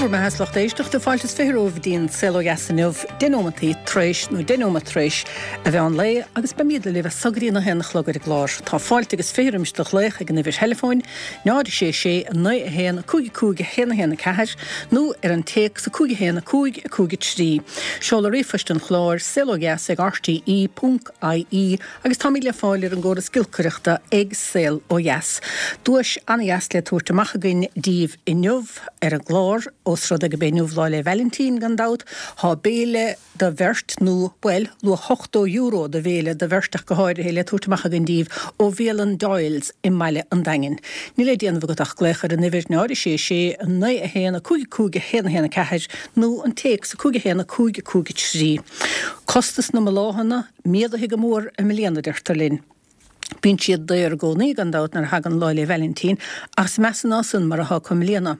Bhur mbeatha 's lucht éisteachta, fáilte is 20 romhaibh go dtí an Saol Ó Dheas inniu, 10 nóimeantaí tar éis, nó 10 nóimeat tar éis, a mheán lae, agus beimíd libh as so go dtí an 1 a chlog ar an gclár. Tá fáilte agus 20 roimis do ghlaoch ag an uimhir theileafóin, 0 6 6 9 1 5 5 1 1 4, nó ar an téacs 5 1 5 5 3. Seoladh ríomhphoist an chláir, saolodheas ag rte ponc ie, Agus táimid le fáil ar an gcóras giolcaireachta ag Saol Ó Dheas. Duais an-dheas le tabhairt amach againn díbh inniu ar an gclár, ós rud é gurb é inniu Lá 'le Vailintín, gan dabht. Tá béile do bheirt, nó, bhuel, luach €80 do bhéile do bheirt ach go háirithe, le tabhairt amach againn díbh ó bhialann Doyle's i mbaile an Daingin. Níl le déanamh agat ach glaoch ar an uimhir 0 6 6 9 1 5 5 1 1 4 nó an téacs 5 1 5 5 3. Costas na mbláthanna. Méadaithe go mór i mbliana, deirtear linn. Bíonn siad daor i gcónaí, gan dabht, nuair a thagann Lá 'le Vailintín, ach is measa ná san mar atá acu i mbliana.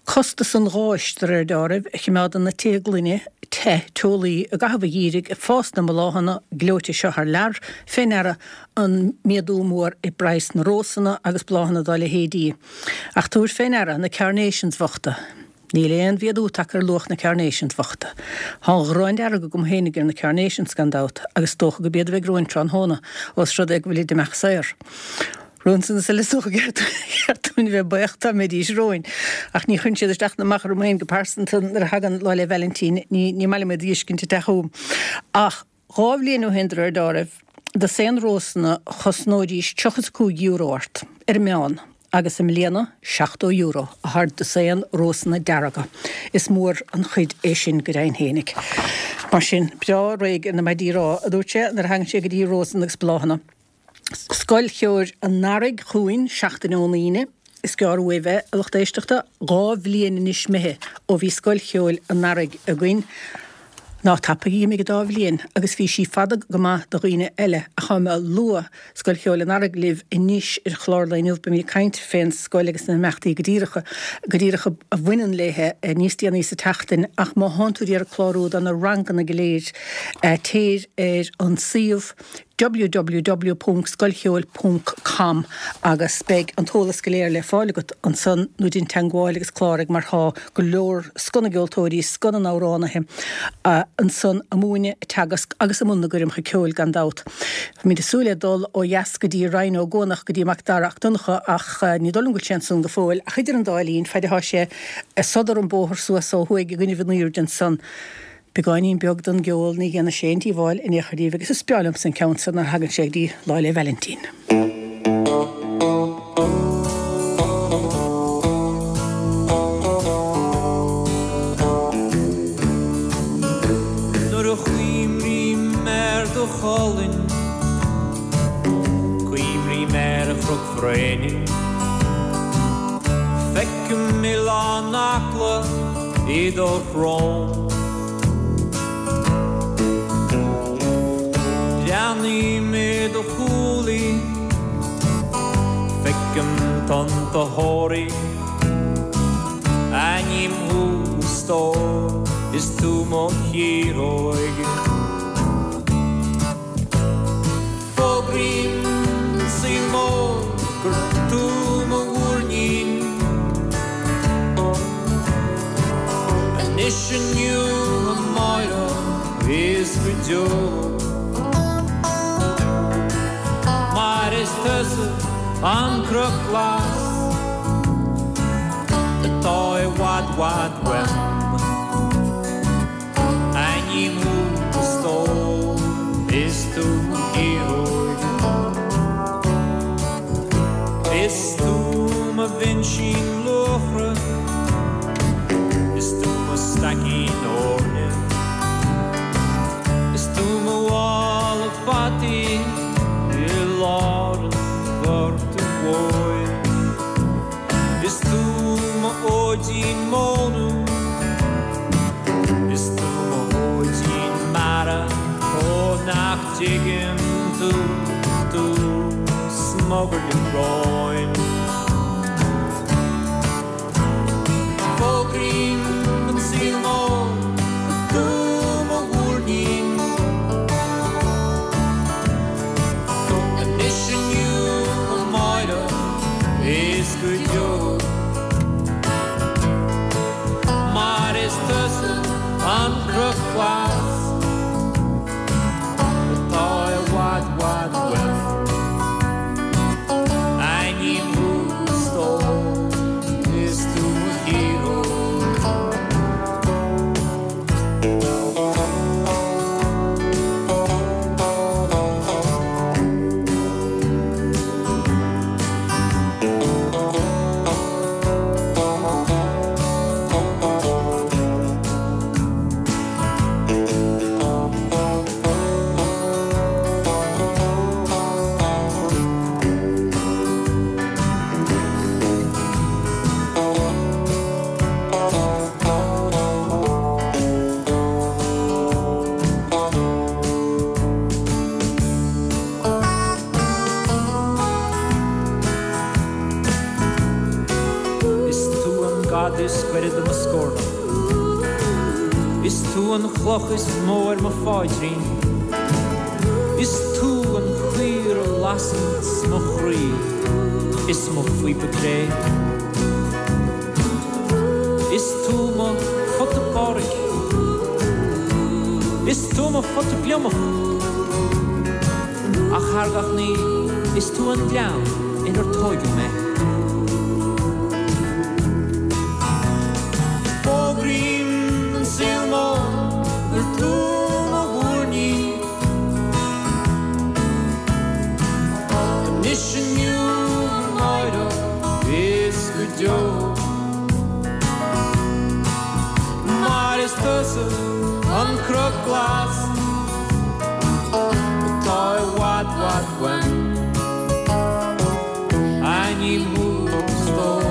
Costas an gháis, de réir deáraimh, a chimeádann na tithe gloine te, teolaí, i gcaitheamh an gheimhridh, ag fás na mbláthanna gleoite seo thar lear, fé ndeara an méadú mór i bpraghas na rósanna agus bláthanna dá leithéidí. Ach tabhair fé ndeara na carnations bhochta. Níl aon mhéadú tagtha ar luach na carnations bhochta. Tá an ghráin dearg agam féinig ar na carnations gan dabht, agus is dócha gurb iad a bheidh romhainn tráthnóna, ós rud é go bhfuilid ag imeacht saor. Romhainn is uile is dócha gur cheart dúinn a bheith buíoch dá mbeidís romhainn. Ach ní chuireann siad isteach ná amach orm féin go pearsanta nuair a thagann Lá 'le Vailintín, ní maith liom iad a fheiscint ag teacht chugam. Ach. 2 bhliain ó shin, de réir deáraimh, dosaen rósanna chosnóidís €35 ort, ar an meán, agus i mbliana, €70 atá ar dosaen rósanna dearga. Is mór an chuid é sin go deimhin fhéinig. Mar sin, breá réidh ar na maidí rámha, a dúirt sé, nuair a thagann sé go dtí rósanna agus bláthanna. Scoil Cheoil an Earraigh chugainn seachtain ón Aoine. Is gearr uaibh é, a lucht éisteachta. 2 bhliain anois imithe ó bhí Scoil Cheoil an Earraigh againn. Ná tapaidh, d'imigh an dá bhliain agus bhí sí fada go maith do dhaoine eile. Ach táim ag lua Scoil Cheoil an Earraigh libh anois ar chlár lae inniu. Beimid ag caint fén scoil agus na himeachtaí go díreach go díreach a bhaineann léithe níos déanaí sa tseachtain. Ach má thánn tú ag iarraidh clárú do na ranganna go léir, téir ar an suíomh. www.scoilcheoil.com agus beidh an t-eolas go léir le fáil agat ansan nó déan teangmháil agus cláraigh mar tá go leor scoth na gceoltóirí, scoth na n-amhránaithe ansan a' múineadh, a' teagasc agus i mbun na gcoirmeacha ceoil gan dabht. Táimid ag súil le dul ó dheas go dtí Ryan Ó Guanach, go dtí Mac Dara 'Ac Donncha ach ní dóigh liom go bhfuil sé ansan go fóill ach idir an dá linn, faid atá sé ag sodar an bóthar suas ó thuaidh i gcoinnibh an aoirde ansan, Beagáinín beag den gceol ní dhéanfaidh sé aon díobháil in aon chor daoibh agus is breá liomsa an ceann seo nuair a thagann sé go dtí Lá 'le Vailintín. Nuair a chuimrím ar do cholainn, cuimrím ar Chnoc Bhréanainn, feicim Oileán Acla, i do shrón. Breathnaím i do shúilí, feicim tonnta Thoraí. Aithním thú a stór, is tú mo chiaróig. Fógraím don saol mór gur tú mo mhúirnín. Anois, inniu, amáireach is go deo. Mar is tusa an cnoc glas atá i bhfad, bhfad uaim. Aithním thú a stór, is tú mo chiaróig. Is tú mo bhinsín luachra, is tú mo staicín eorna. Is tú mo mhála fataí i lár an ghorta mhóir. Is tú mo fhóidín móna, Is tú mo fhóidín mara, Ó nach dtuigeann tú, tú smugairle róin. Fógraím don saol mór gur tú mo mhúirnín. Anois inniu amáireach is go deo. scoireadh de mo scornach. Is tú an chloch is mó ar mo pháidrín. Is tú an chaor a lasanns mo chroí is mo phíopa cré. Is tú mo phota páraic. Is tú mo phota gliomach. Ach thar gach ní, is tú an gleann inar tóigeadh mé. Fógraím don saol mór gur tú mo mhúirnín. Anois inniu amáireach is go deo. Mar is tusa an cnoc glas atá i bhfad bhfad uaim. Aithním thú a stór,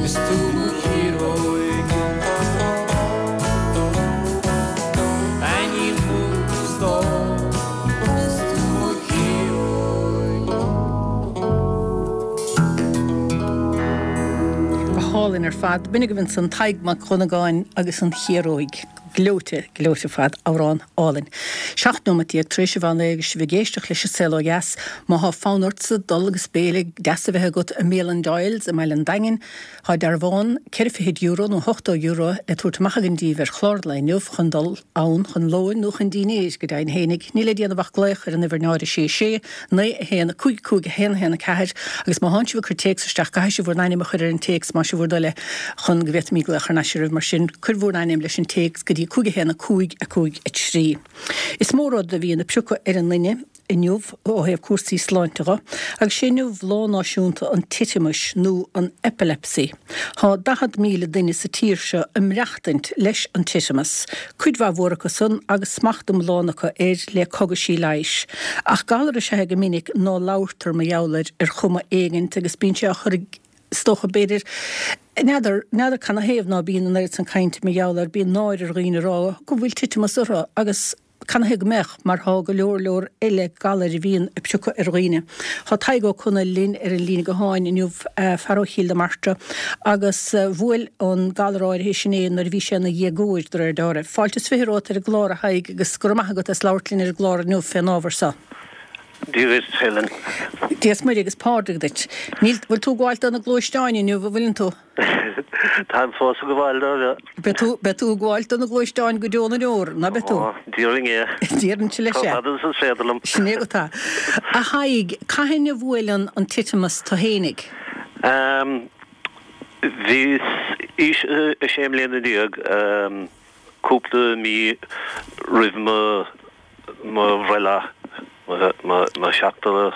is tú mo chiaróig. Aithním thú a stór, is tú mo chiaróig. Go hálainn ar fad. B'in agaibh ansan Tadhg Mac Dhonnagáin agus an Chiaróig. Gleoite, gleoite ar fad. Amhrán álainn. 17 nóimeat tar éis an mheán lae agus sibh ag éisteacht leis an Saol Ó Dheas. Má thá fonn ortsa dul agus béile deas a bheith agat i mbialann Doyle's i mBaile an Daingin, Tá dearbhán ceithre fichid euro nó €80 le tabhairt amach againn díbh ar chlár an lae inniu chun dul ann chun lóin nó chun dínnéir, go deimhin fhéinig. Níl le déanamh ach glaoch ar an uimhir 0 6 6 9 1 5 5 1 1 4 agus má thánn sibh ag cur téacs isteach caithfidh sibh bhur n-ainm a chur ar an téacs más é bhur dtoil é chun go bhféadfaimid glaoch thar n-ais oraibh mar sin cuir bhur n-ainm leis an téacs go dtí 5 1 5 5 3. Is mó rud a bhíonn ag priocadh ar an nduine. inniu ó thaobh cúrsaí sláinte dho, agus sé inniu Lá Náisiúnta an Titiomais nó an Epilepsy. Thá 40,000 duine sa tír seo ag maireachtaint leis an titimeas, cuid mhaith mhór acu san agus smacht iomlán acu air le cogaisí leighis. Ach galar is ea é go minic ná labhartar mar gheall air ar chuma éigint agus bíonn sé á chur is dócha, b'fhéidir, n'fheadar, n'fheadar canathaobh ná bíonn an oiread san cainte mar gheall air, bíonn náire ar dhaoine a rá go bhfuil titimeas orthu agus, Canathaobh go mbeadh, mar thá go leor leor eile galair a bhíonn ag priocadh ar dhaoine. Thá Tadhg Ó Conaill linn ar an líne gutháin inniu, fear ó Chill na Martra, agus bhuail an galar áirithe sin é nuair a bhí sé ina dhéagóir, de réir dealraimh. Fáilte is 20 romhat ar an gclár, a Thaidhg, agus go raibh maith agat as labhairt linn ar an gclár inniu fén ábhar so. Dia dhuit, Helen. Dia is Muire agus Pádraig duit. Níl, bhfuil tú ag gabháil do na gluaisteáin inniu, an bhfuileann tú? Táim fós ag gabháil dóibh. Beidh tú, beidh tú ag gabháil do na gluaisteáin go deo na ndeor, ná beidh tú? Ó, déarfainn é. Déarfainnse leis é. Chomh fada is is féidir liom. Sin é agat é. A Thaidhg, cathain a bhuail an, an titimeas tú fhéinig? Bhíos aois a sé mbliana déag, cúpla mí roimh mo, mo bhreithlá, mo sheachtú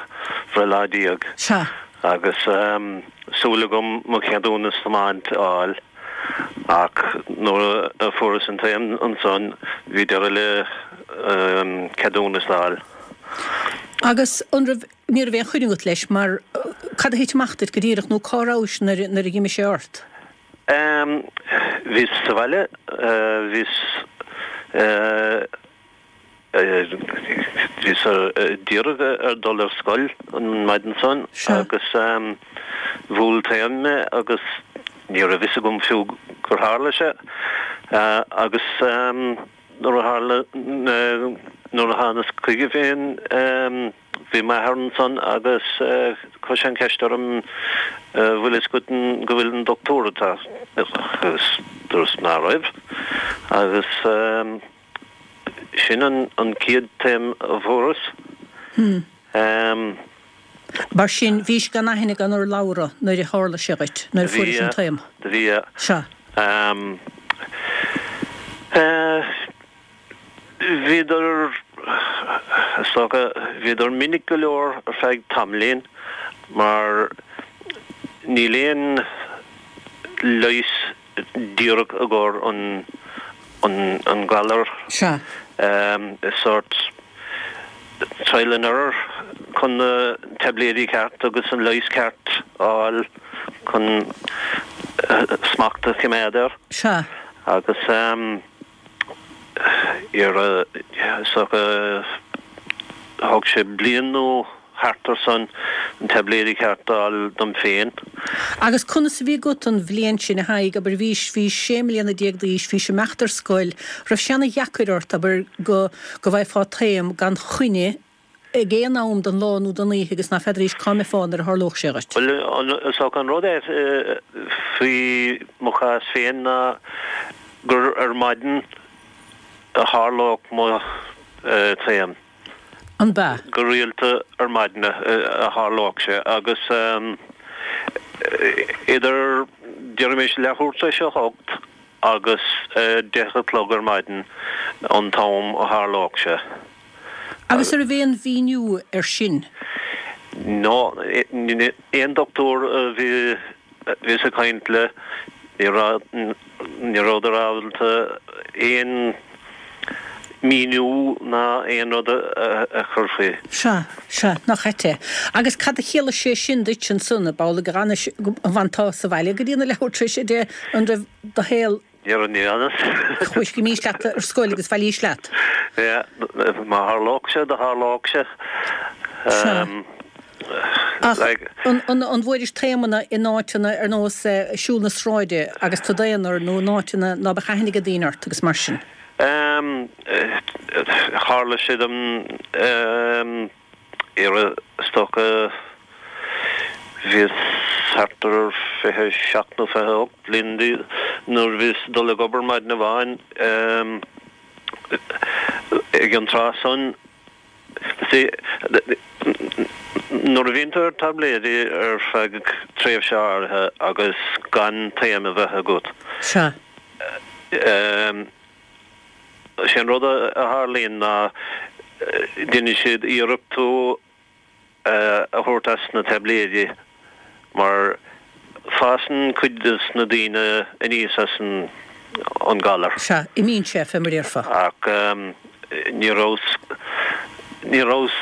bhreithlá déag. Sea. Agus súil agam mo cheadúnas tiomáint a fháil ach nuair a fuaireas an taom ansan bhí deireadh le ceadúnas a fháil. Agus an raibh, ní raibh aon choinne agat leis mar cad a thit amach duit go díreach nó cá rabhais nuair a d'imigh sé ort? Bhíos sa bhaile, bhíos. Bhíos díreach ar dul ar scoil an maidin san agus bhuail taom mé agus ní raibh fhios agam fiú gur tharla sé agus nuair a tharla, nuair a thánas chuige féin bhí m'athair ansan agus chuir sé an cheist orm bhfuil fhios agat go bhfuil an doctúir ag teacht agus dúras ná raibh agus Sin an chéad taom a fuaireas. Mar sin, bhís gan aithne gan urlabhra nuair a tharla sé dhuit, nuair a fuairis an taom? Bhí, bhí. Sea. Bhíodar, is dócha, bhíodar minic go leor ar feadh tamaillín mar níl aon leigheas díreach i gcomhair an galar. Sea. Is sórt trial and error chun na taibléidí ceart agus an leigheas ceart a fháil chun smacht a choimeád air. Sea. Agus iarraidh, is dócha, thóg sé bliain nó thart ar san. an taibléidí ceart a fháil dom féin. Agus conas a bhí agat an bhliain sin, a Thaidhg, abair, bhís, bhís sé mbliana déag d'aois, bhís ag imeacht ar scoil, raibh sé ana dheacair ort, abair, go, go bhfaighfeá taom gan choinne ag aon am den lá nó den oíche agus ná feadraís cá mbeifeá nuair a tharlódh sé dhuit? Bhuel, is dócha an rud é faoi mo chás féin ná gur ar maidin a tharlódh mo taom. An b'ea? Go rialta ar maidin a tharlódh sé agus idir, déarfaimis, leathuair tar éis a hocht agus 10 a chlog ar maidin an t-am a tharlódh sé. Agus an raibh aon mhíniú air sin? No, aon dochtúir a bhí Bhíos ag caint le, ní raibh, ní rabhadar ábalta aon míniú ná aon rud a chur faoi. Sea, sea, nach ait é. Agus cad a chiallaigh sé sin duit ansan, ab amhlaidh go bhfanais, go bhfanfá sa bhaile go dtí na leathuair tar éis a deich, an raibh do shaol. Ní raibh, ní fhanas. Chuais, d'imís leat ar scoil agus bhailís leat. Yeah, má tharlódh sé, do tharlódh sé. Sea. Ach an bhfuairis taomanna in áiteanna ar nós siúl na sráide agus tú d'aonar nó in áiteanna ná beadh aithne ag daoine ort agus mar sin? Tharla sé dom iarraidh, is dócha, bhíos thart ar 27 nó 28 bliain nuair a bhíos ag dul ag obair maidin amháin ag an tráth san. See, nuair a bhíonn tú ar taibléidí ar feadh tréimhse áirithe agus gan taom a bheith agat, Sea. sé an rud a tharlaíonn ná déanann siad iarracht tú a thabhairt as na taibléidí mar fásann cuid de na daoine aníos as an galar. Sea, imíonn sé, fé mar a déarfá. Ach ní rabhas, ní rabhas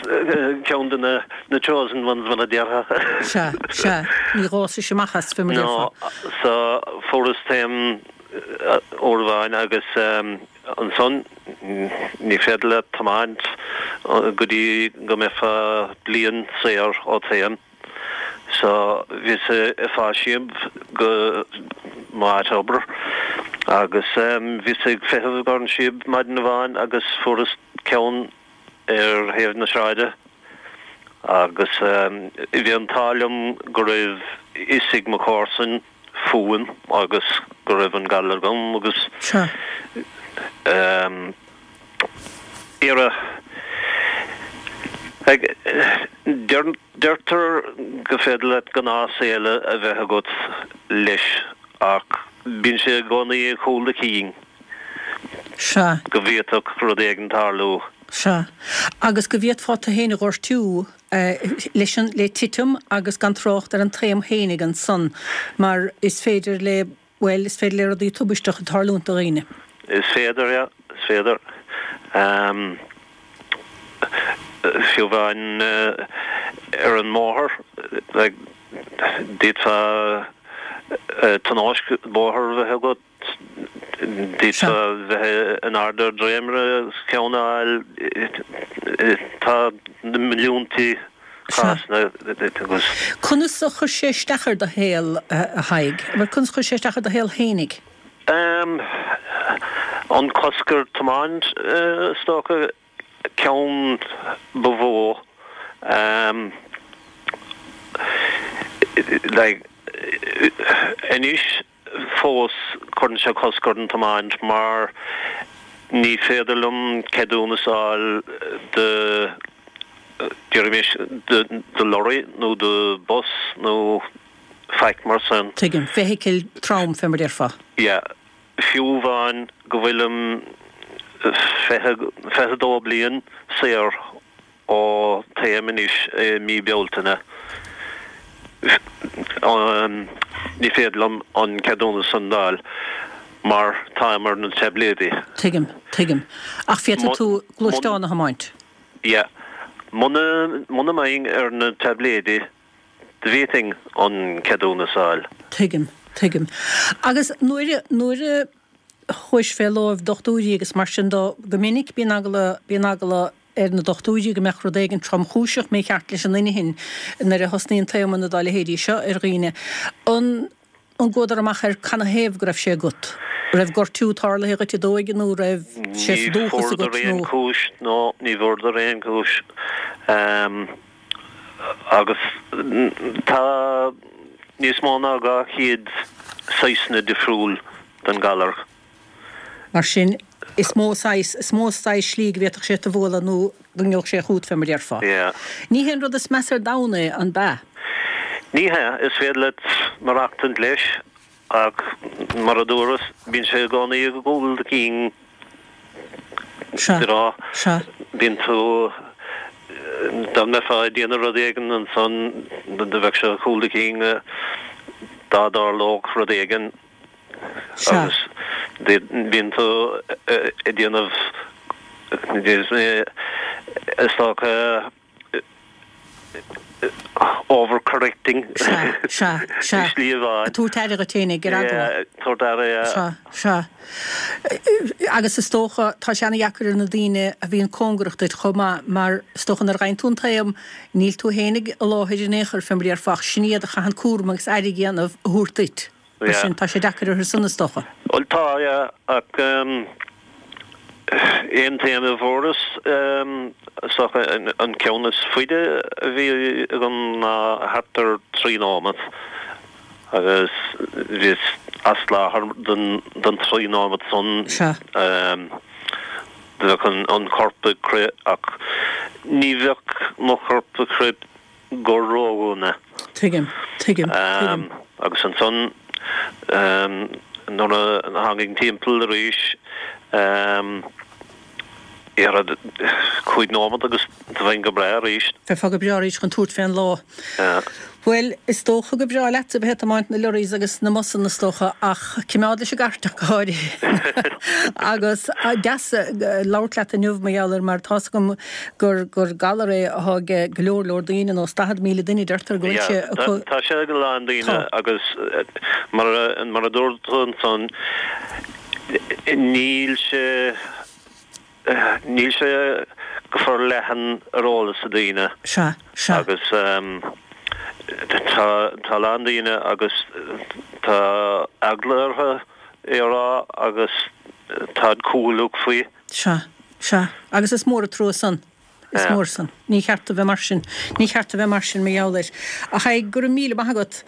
ceann de na chosen ones mar a déarfá. Sea, sea, ní dh'fhásais amach as, fé mar a déarfá. No, so fuaireas taom uair amháin agus ansan ní féidir leat tiomáint go dtí go mbeifeá bliain saor ó taom. So bhíos ag fáil síob go m'áit obair agus bhíos ag feitheamh ar an síob maidin amháin agus fuaireas ceann ar thaobh na sráide agus bhí an t-ádh liom go raibh fhios ag mo chomharsain fúm agus go raibh an galar agam agus Sea. iarraidh ag Deirtear go féidir leat gnáthshaol a bheith agat leis ach bíonn sé i gcónaí i gcúl do chinn Sea. go bhféadfadh rud éigin tarlú. Sea. Agus go bhféadfá tú féin a ghortú leis an, le titim agus gan trácht ar an taom fhéinig ansan mar is féidir le, bhuel, is féidir le rudaí tubaisteacha tarlúint do dhaoine. Is féidir, yeah, is féidir. Fiú amháin ar an mbóthar, like, d'fhéadfá tionóisc bóthair a bheith agat, D'fhéadfá bheith in airde ar dréimire agus ceann a fháil. Tá na milliúntaí cásanna agus. Conas a chuir sé isteach ar do shaol, a Thaidhg? Conas a chuir sé isteach ar do shaol fhéinig? An cosc ar tiomáint, is dócha, ceann ba mhó. Like, anois. Fós, cuireann sé cosc ar an tiomáint mar ní féidir liom ceadúnas a fháil do, déarfaimis, do lorry nó do bus nó faic mar san. Tuigim. Feithicil trom, fé mar déarfá. Yeah. Fiú amháin go bhfuilim 22 bliain saor ó taom anois i mí Bealtaine. Ní féidir liom an ceadúnas san d'fháil mar táim ar na taibléidí. Tuigim, tuigim. Ach féadfaidh tú gluaisteán a thiomáint? Yeah. Muna, muna mbeinn ar na taibléidí, d'fhéadfainn an ceadúnas a fháil. Tuigim, tuigim. Agus nuair a, nuair a chuais fé láimh dochtúirí agus mar sin dó, go minic bíonn eagla, bíonn eagla. ar na dochtúirí go mbeadh rud éigin tromchúiseach mícheart leis an inchinn nuair a thosnaíonn taomanna dá leithéidí seo ar dhaoine. An an gcuadar amach ar canathaobh go raibh sé agat? Raibh gortú tarlaithe dhuit i d'óige nó raibh sé sa Ní dúchas fuaireadar agat aon nó. chúis, no, ní bhfuaireadar aon chúis. Agus tá níos mó ná 200 saghsanna difriúil den galar. Mar sin, is mó saghas, is mó saghas slí go bhféadfadh sé tu bhualadh nó go ngeobhadh sé chút, fé mar déarfá. Yeah. Ní hé an rud is measa ar domhan é, an b'ea? Ní hea, is féidir leat maireachtaint leis, ach mar a dúras, bíonn sé i gcónaí i gcúl do chinn, Sea, you know, sea. bíonn tú, dá mbeifeá ag déanamh rud éigin ansan, bheadh sé i gcúl do chinn dá dtarlódh rud éigin. Sea. Agus bíonn tú ag déanamh, is dócha, over-correcting. Sea, sea, sea. I slí amháin. Ag tabhairt aire dhuit fhéinig, ar eagla. Yeah, tabhairt aire, yeah. Sea, sea. Agus is dócha, tá sé ana-dheacair ar na daoine a bhíonn cóngarach duit chomh maith, mar is dócha nuair a fhaigheann tú an taom, níl tú fhéinig i láthair in aon chor, fé mar a déarfá, ach sin iad a chaitheann cúram agus aire a dhéanamh, a thabhairt duit. Mar sin, tá sé deacair orthu san, is dócha. Bhuel, tá, yeah, ach aon taom a fuaireas, is dócha, an ceann is faide a bhí agam ná thart ar thrí nóimeat agus bhíos as láthair don trí nóimeat san. Sea. Bheadh an corp ag crith ach ní bheadh mo chorp ag crith go ródhona. Tuigim, tuigim, tuigim. Agus ansan nuair a tháinig timpeall arís, iarraidh 5 nóimeat agus do bheinn go breá arís. Bheifeá go breá arís chun tabhairt fén lá. Bhuel, is dócha gur breá leatsa a bheith ag tiomáint na lorries agus na mbusanna is dócha, ach cimeád leis an gcairt ach go háirithe. Agus deas labhairt leat inniu mar gheall air mar tá's agam gur gur galar é atá ag go leor leor daoine, nós 40,000 duine deirtear go bhfuil sé acu. Tá sé ag a lán daoine agus mar mar a dúirt tú ansan níl sé Níl sé go forleathan ar eolas ag daoine. Sea, sea. Agus tá tá a lán daoine agus tá eagla orthu é a rá agus táid cúthaileach faoi. Sea, sea. Agus is mór an trua san. Is mór san. Ní cheart a bheith mar sin. Ní cheart a bheith mar sin mar gheall air. Ach a Thaidhg, go raibh míle maith agat.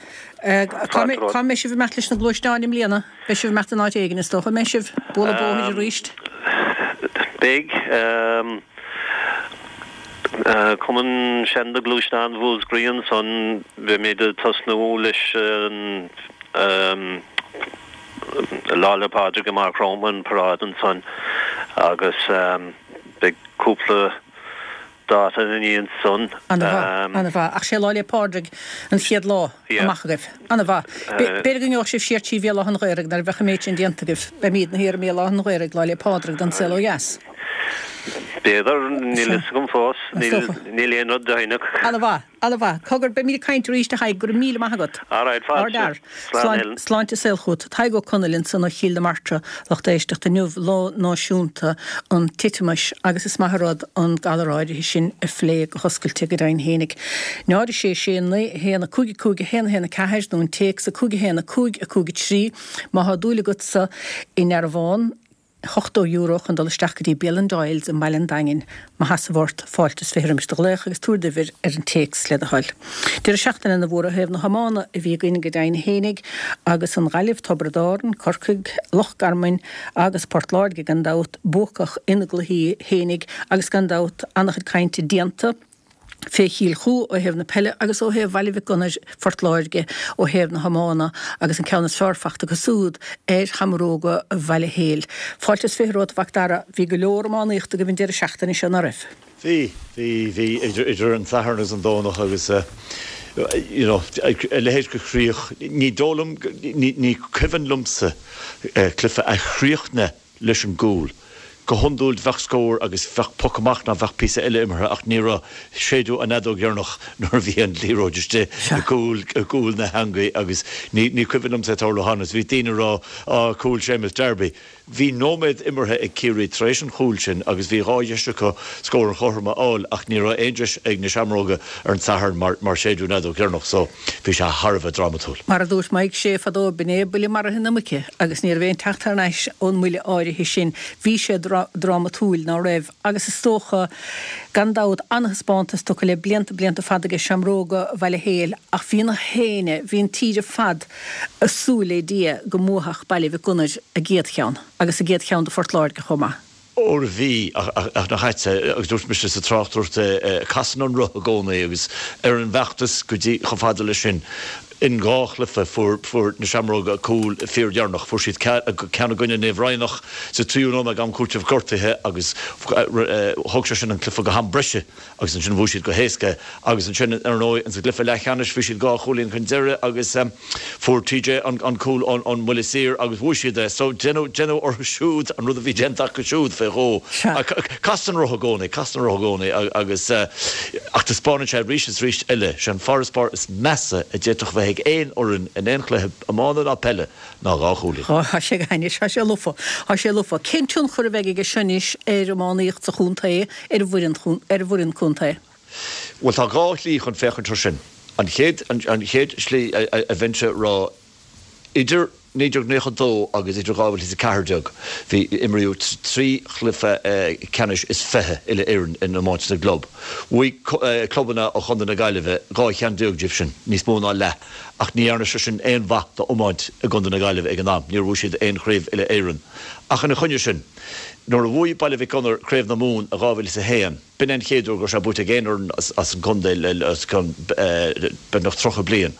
Cá mbeidh sibh ag imeacht leis na gluaisteáin i mbliana? Beidh sibh ag imeacht in áit éigin, is dócha. An mbeidh sibh? Bualadh bóthair arís? Beidh. Cumann Seanda Gluaisteán Mhúscraí ansan, beimid ag tosnú leis an Lá 'le Pádraig amach romhainn, an paráid ansan agus Beidh cúpla dáta ina ndiaidh san. Ana-mhaith, ana-mhaith. Ach sé Lá 'le Pádraig an chéad lá amach agaibh. Ana-mhaith. B'fhéidir go ngeobhadh sibh siar trí Bhéal Átha an Ghaorthaidh nuair a bheadh an méid sin déanta agaibh. Beimídne thiar i mBéal Átha an Ghaorthaidh Lá 'le Pádraig don saol ó dheas. B'fhéidir, níl fhios agam fós. Níl aon rud deimhneach. Ana-mhaith. Ana-mhaith. Cogar, beimid ag caint arís, a Thaidhg. Go raibh míle maith agat. Alright, Ár fáilte. bhfear. Slán, Helen. Sláinte is saol chugat. Tadhg Ó Conaill ansan ó Chill na Martra, lucht éisteachta inniu, Lá Náisiúnta an Titeamais, agus is maith an rud an galar áirithe sin a phlé go hoscailte go deimhin fhéinig. 0 6 6 9 1 5 5 1 1 4 nó an téacs 5 1 5 5 3 má thá dúil agatsa i ndearbhán, €80 chun dul isteach go dtí bialann Doyle's i mbaile an Daingin. Má sheasamh ort, fáilte is 20 roimis do ghlaoch agus tabhair d'uimhir ar an téacs le do thoil. Deireadh seachtaine ana mhór ó thaobh na hiomána a bhí againn go deimhin fhéinig agus an Ghaillimh, Tiobraid Árann, Corcaigh, Loch Garman agus Port Láirge gan dabht buacach ina gcluichí fhéinig agus gan dabht ana-chuid cainte déanta fé Chill Chua ó thaobh na peile agus ó thaobh Bhaile Mhic Gonair, Phort Láirge, ó thaobh na hiomána agus an ceann is fearr fachta acu siúd ar Sheamróga Bhaile Héil. Fáilte is 20 romhat a Mhac Dara, bhí go leor iománaíochta agaibh an deireadh seachtaine seo, ná raibh? Bhí, bhí, bhí, idir, idir an Satharn agus an Domhnach agus eh you know a leithéid de chríoch, ní dóigh liom, ní, ní cuimhin liomsa eh cluiche a chríochnaigh leis an gcúl. Go hiondúil bheadh scór agus bheadh poc amach ná bheadh píosa eile imeartha ach ní raibh. Séideadh an fheadóg dheireanach nuair a bhí an liathróid istigh i gcúl, i gcúl na heangaí agus ní, ní cuimhin liomsa é tarlú cheana. Bhí daoine ag rá, á, cúl Séamus Darby. Bhí nóiméad imeartha ag Ciarraí tar éis an chúil sin agus bhí 2 dheis acu scór an chothroim a fháil ach ní raibh aon deis ag na Seamróga ar an Satharn mar mar séideadh an fheadóg dheireanach so bhí sé thar a bheith drámatúil. Mar a dúirt Mike Shea fadó, b'in é buille maraithe na muice agus ní raibh aon teacht thar n-ais ón mbuille áirithe sin. Bhí sé drámatúil, ná raibh? Agus is dócha, gan dabht, an-thaispeántas tugtha le blianta, blianta fada aige Seamróga Bhaile Héil ach bhí na héinne, bhí an tír ar fad ag súil le Dia go mbuafadh Baile Mhic Gonair a gcéad cheann, agus a gcéad cheann do Phort Láirge chomh maith. Óir bhí, ach nach ait, agus dúirt mise sa tráchtaireacht é, casann an roth i gcónaí agus ar an bhfeachtas go dtí chomh fada leis sin, in 2 chluiche fuair fuair na Seamróga cúl fíordheireanach. Fuair siad ceann i gcoinne Naomh Raghnach sa tríú nóiméad am cúitimh gortaithe agus thug sé sin an cluiche go ham breise. Agus ansin bhuaigh siad go héasca. Agus ansin, ar ndóigh, insa gcluiche leathcheannais bhí siad 2 chúilín chun deiridh agus fuair TJ an cúl ón mbuille saor agus bhuaigh siad é. So deineadh, deineadh orthu siúd an rud a bhí déanta acu siúd fé dhó. Casann an roth i gcónaí, casann an roth i gcónaí agus, ach taispeánann sé arís is arís eile, sé an farasbarr is measa a d'fhéadfadh bheith ag aon fhoireann in aon chluiche iomána ná peile ná 2 chúilín. Tá sé anois, tá sé lofa, tá sé lofa. Cén tionchar a bheidh aige seo anois ar iománaíocht sa chontae, ar an bhfoireann, ar an bhfoireann contae? Bhuel, tá 2 shlí chun féachaint air sin. An chéad, an chéad slí a bheinnse a rá, idir 1992 agus idir 2014, bhí, imríodh 3 chluiche ceannais is 20 uile-Éireann in iomáint na gclub. Bhuaigh clubanna ó chontae na Gaillimhe 12 cheann díobh sin, níos mó ná leath. Ach ní dhearna sé sin aon mhaith d'iomáint i gContae na Gaillimhe ag an am, níor bhuaigh siad aon chraobh uile-Éireann. Ach ina choinne sin, nuair a bhuaigh Baile Mhic Gonair Craobh na Mumhan i 2001, b'in é an chéad uair go raibh sé buaite ag aon fhoireann as an gcontae le os cionn beagnach 30 bliain.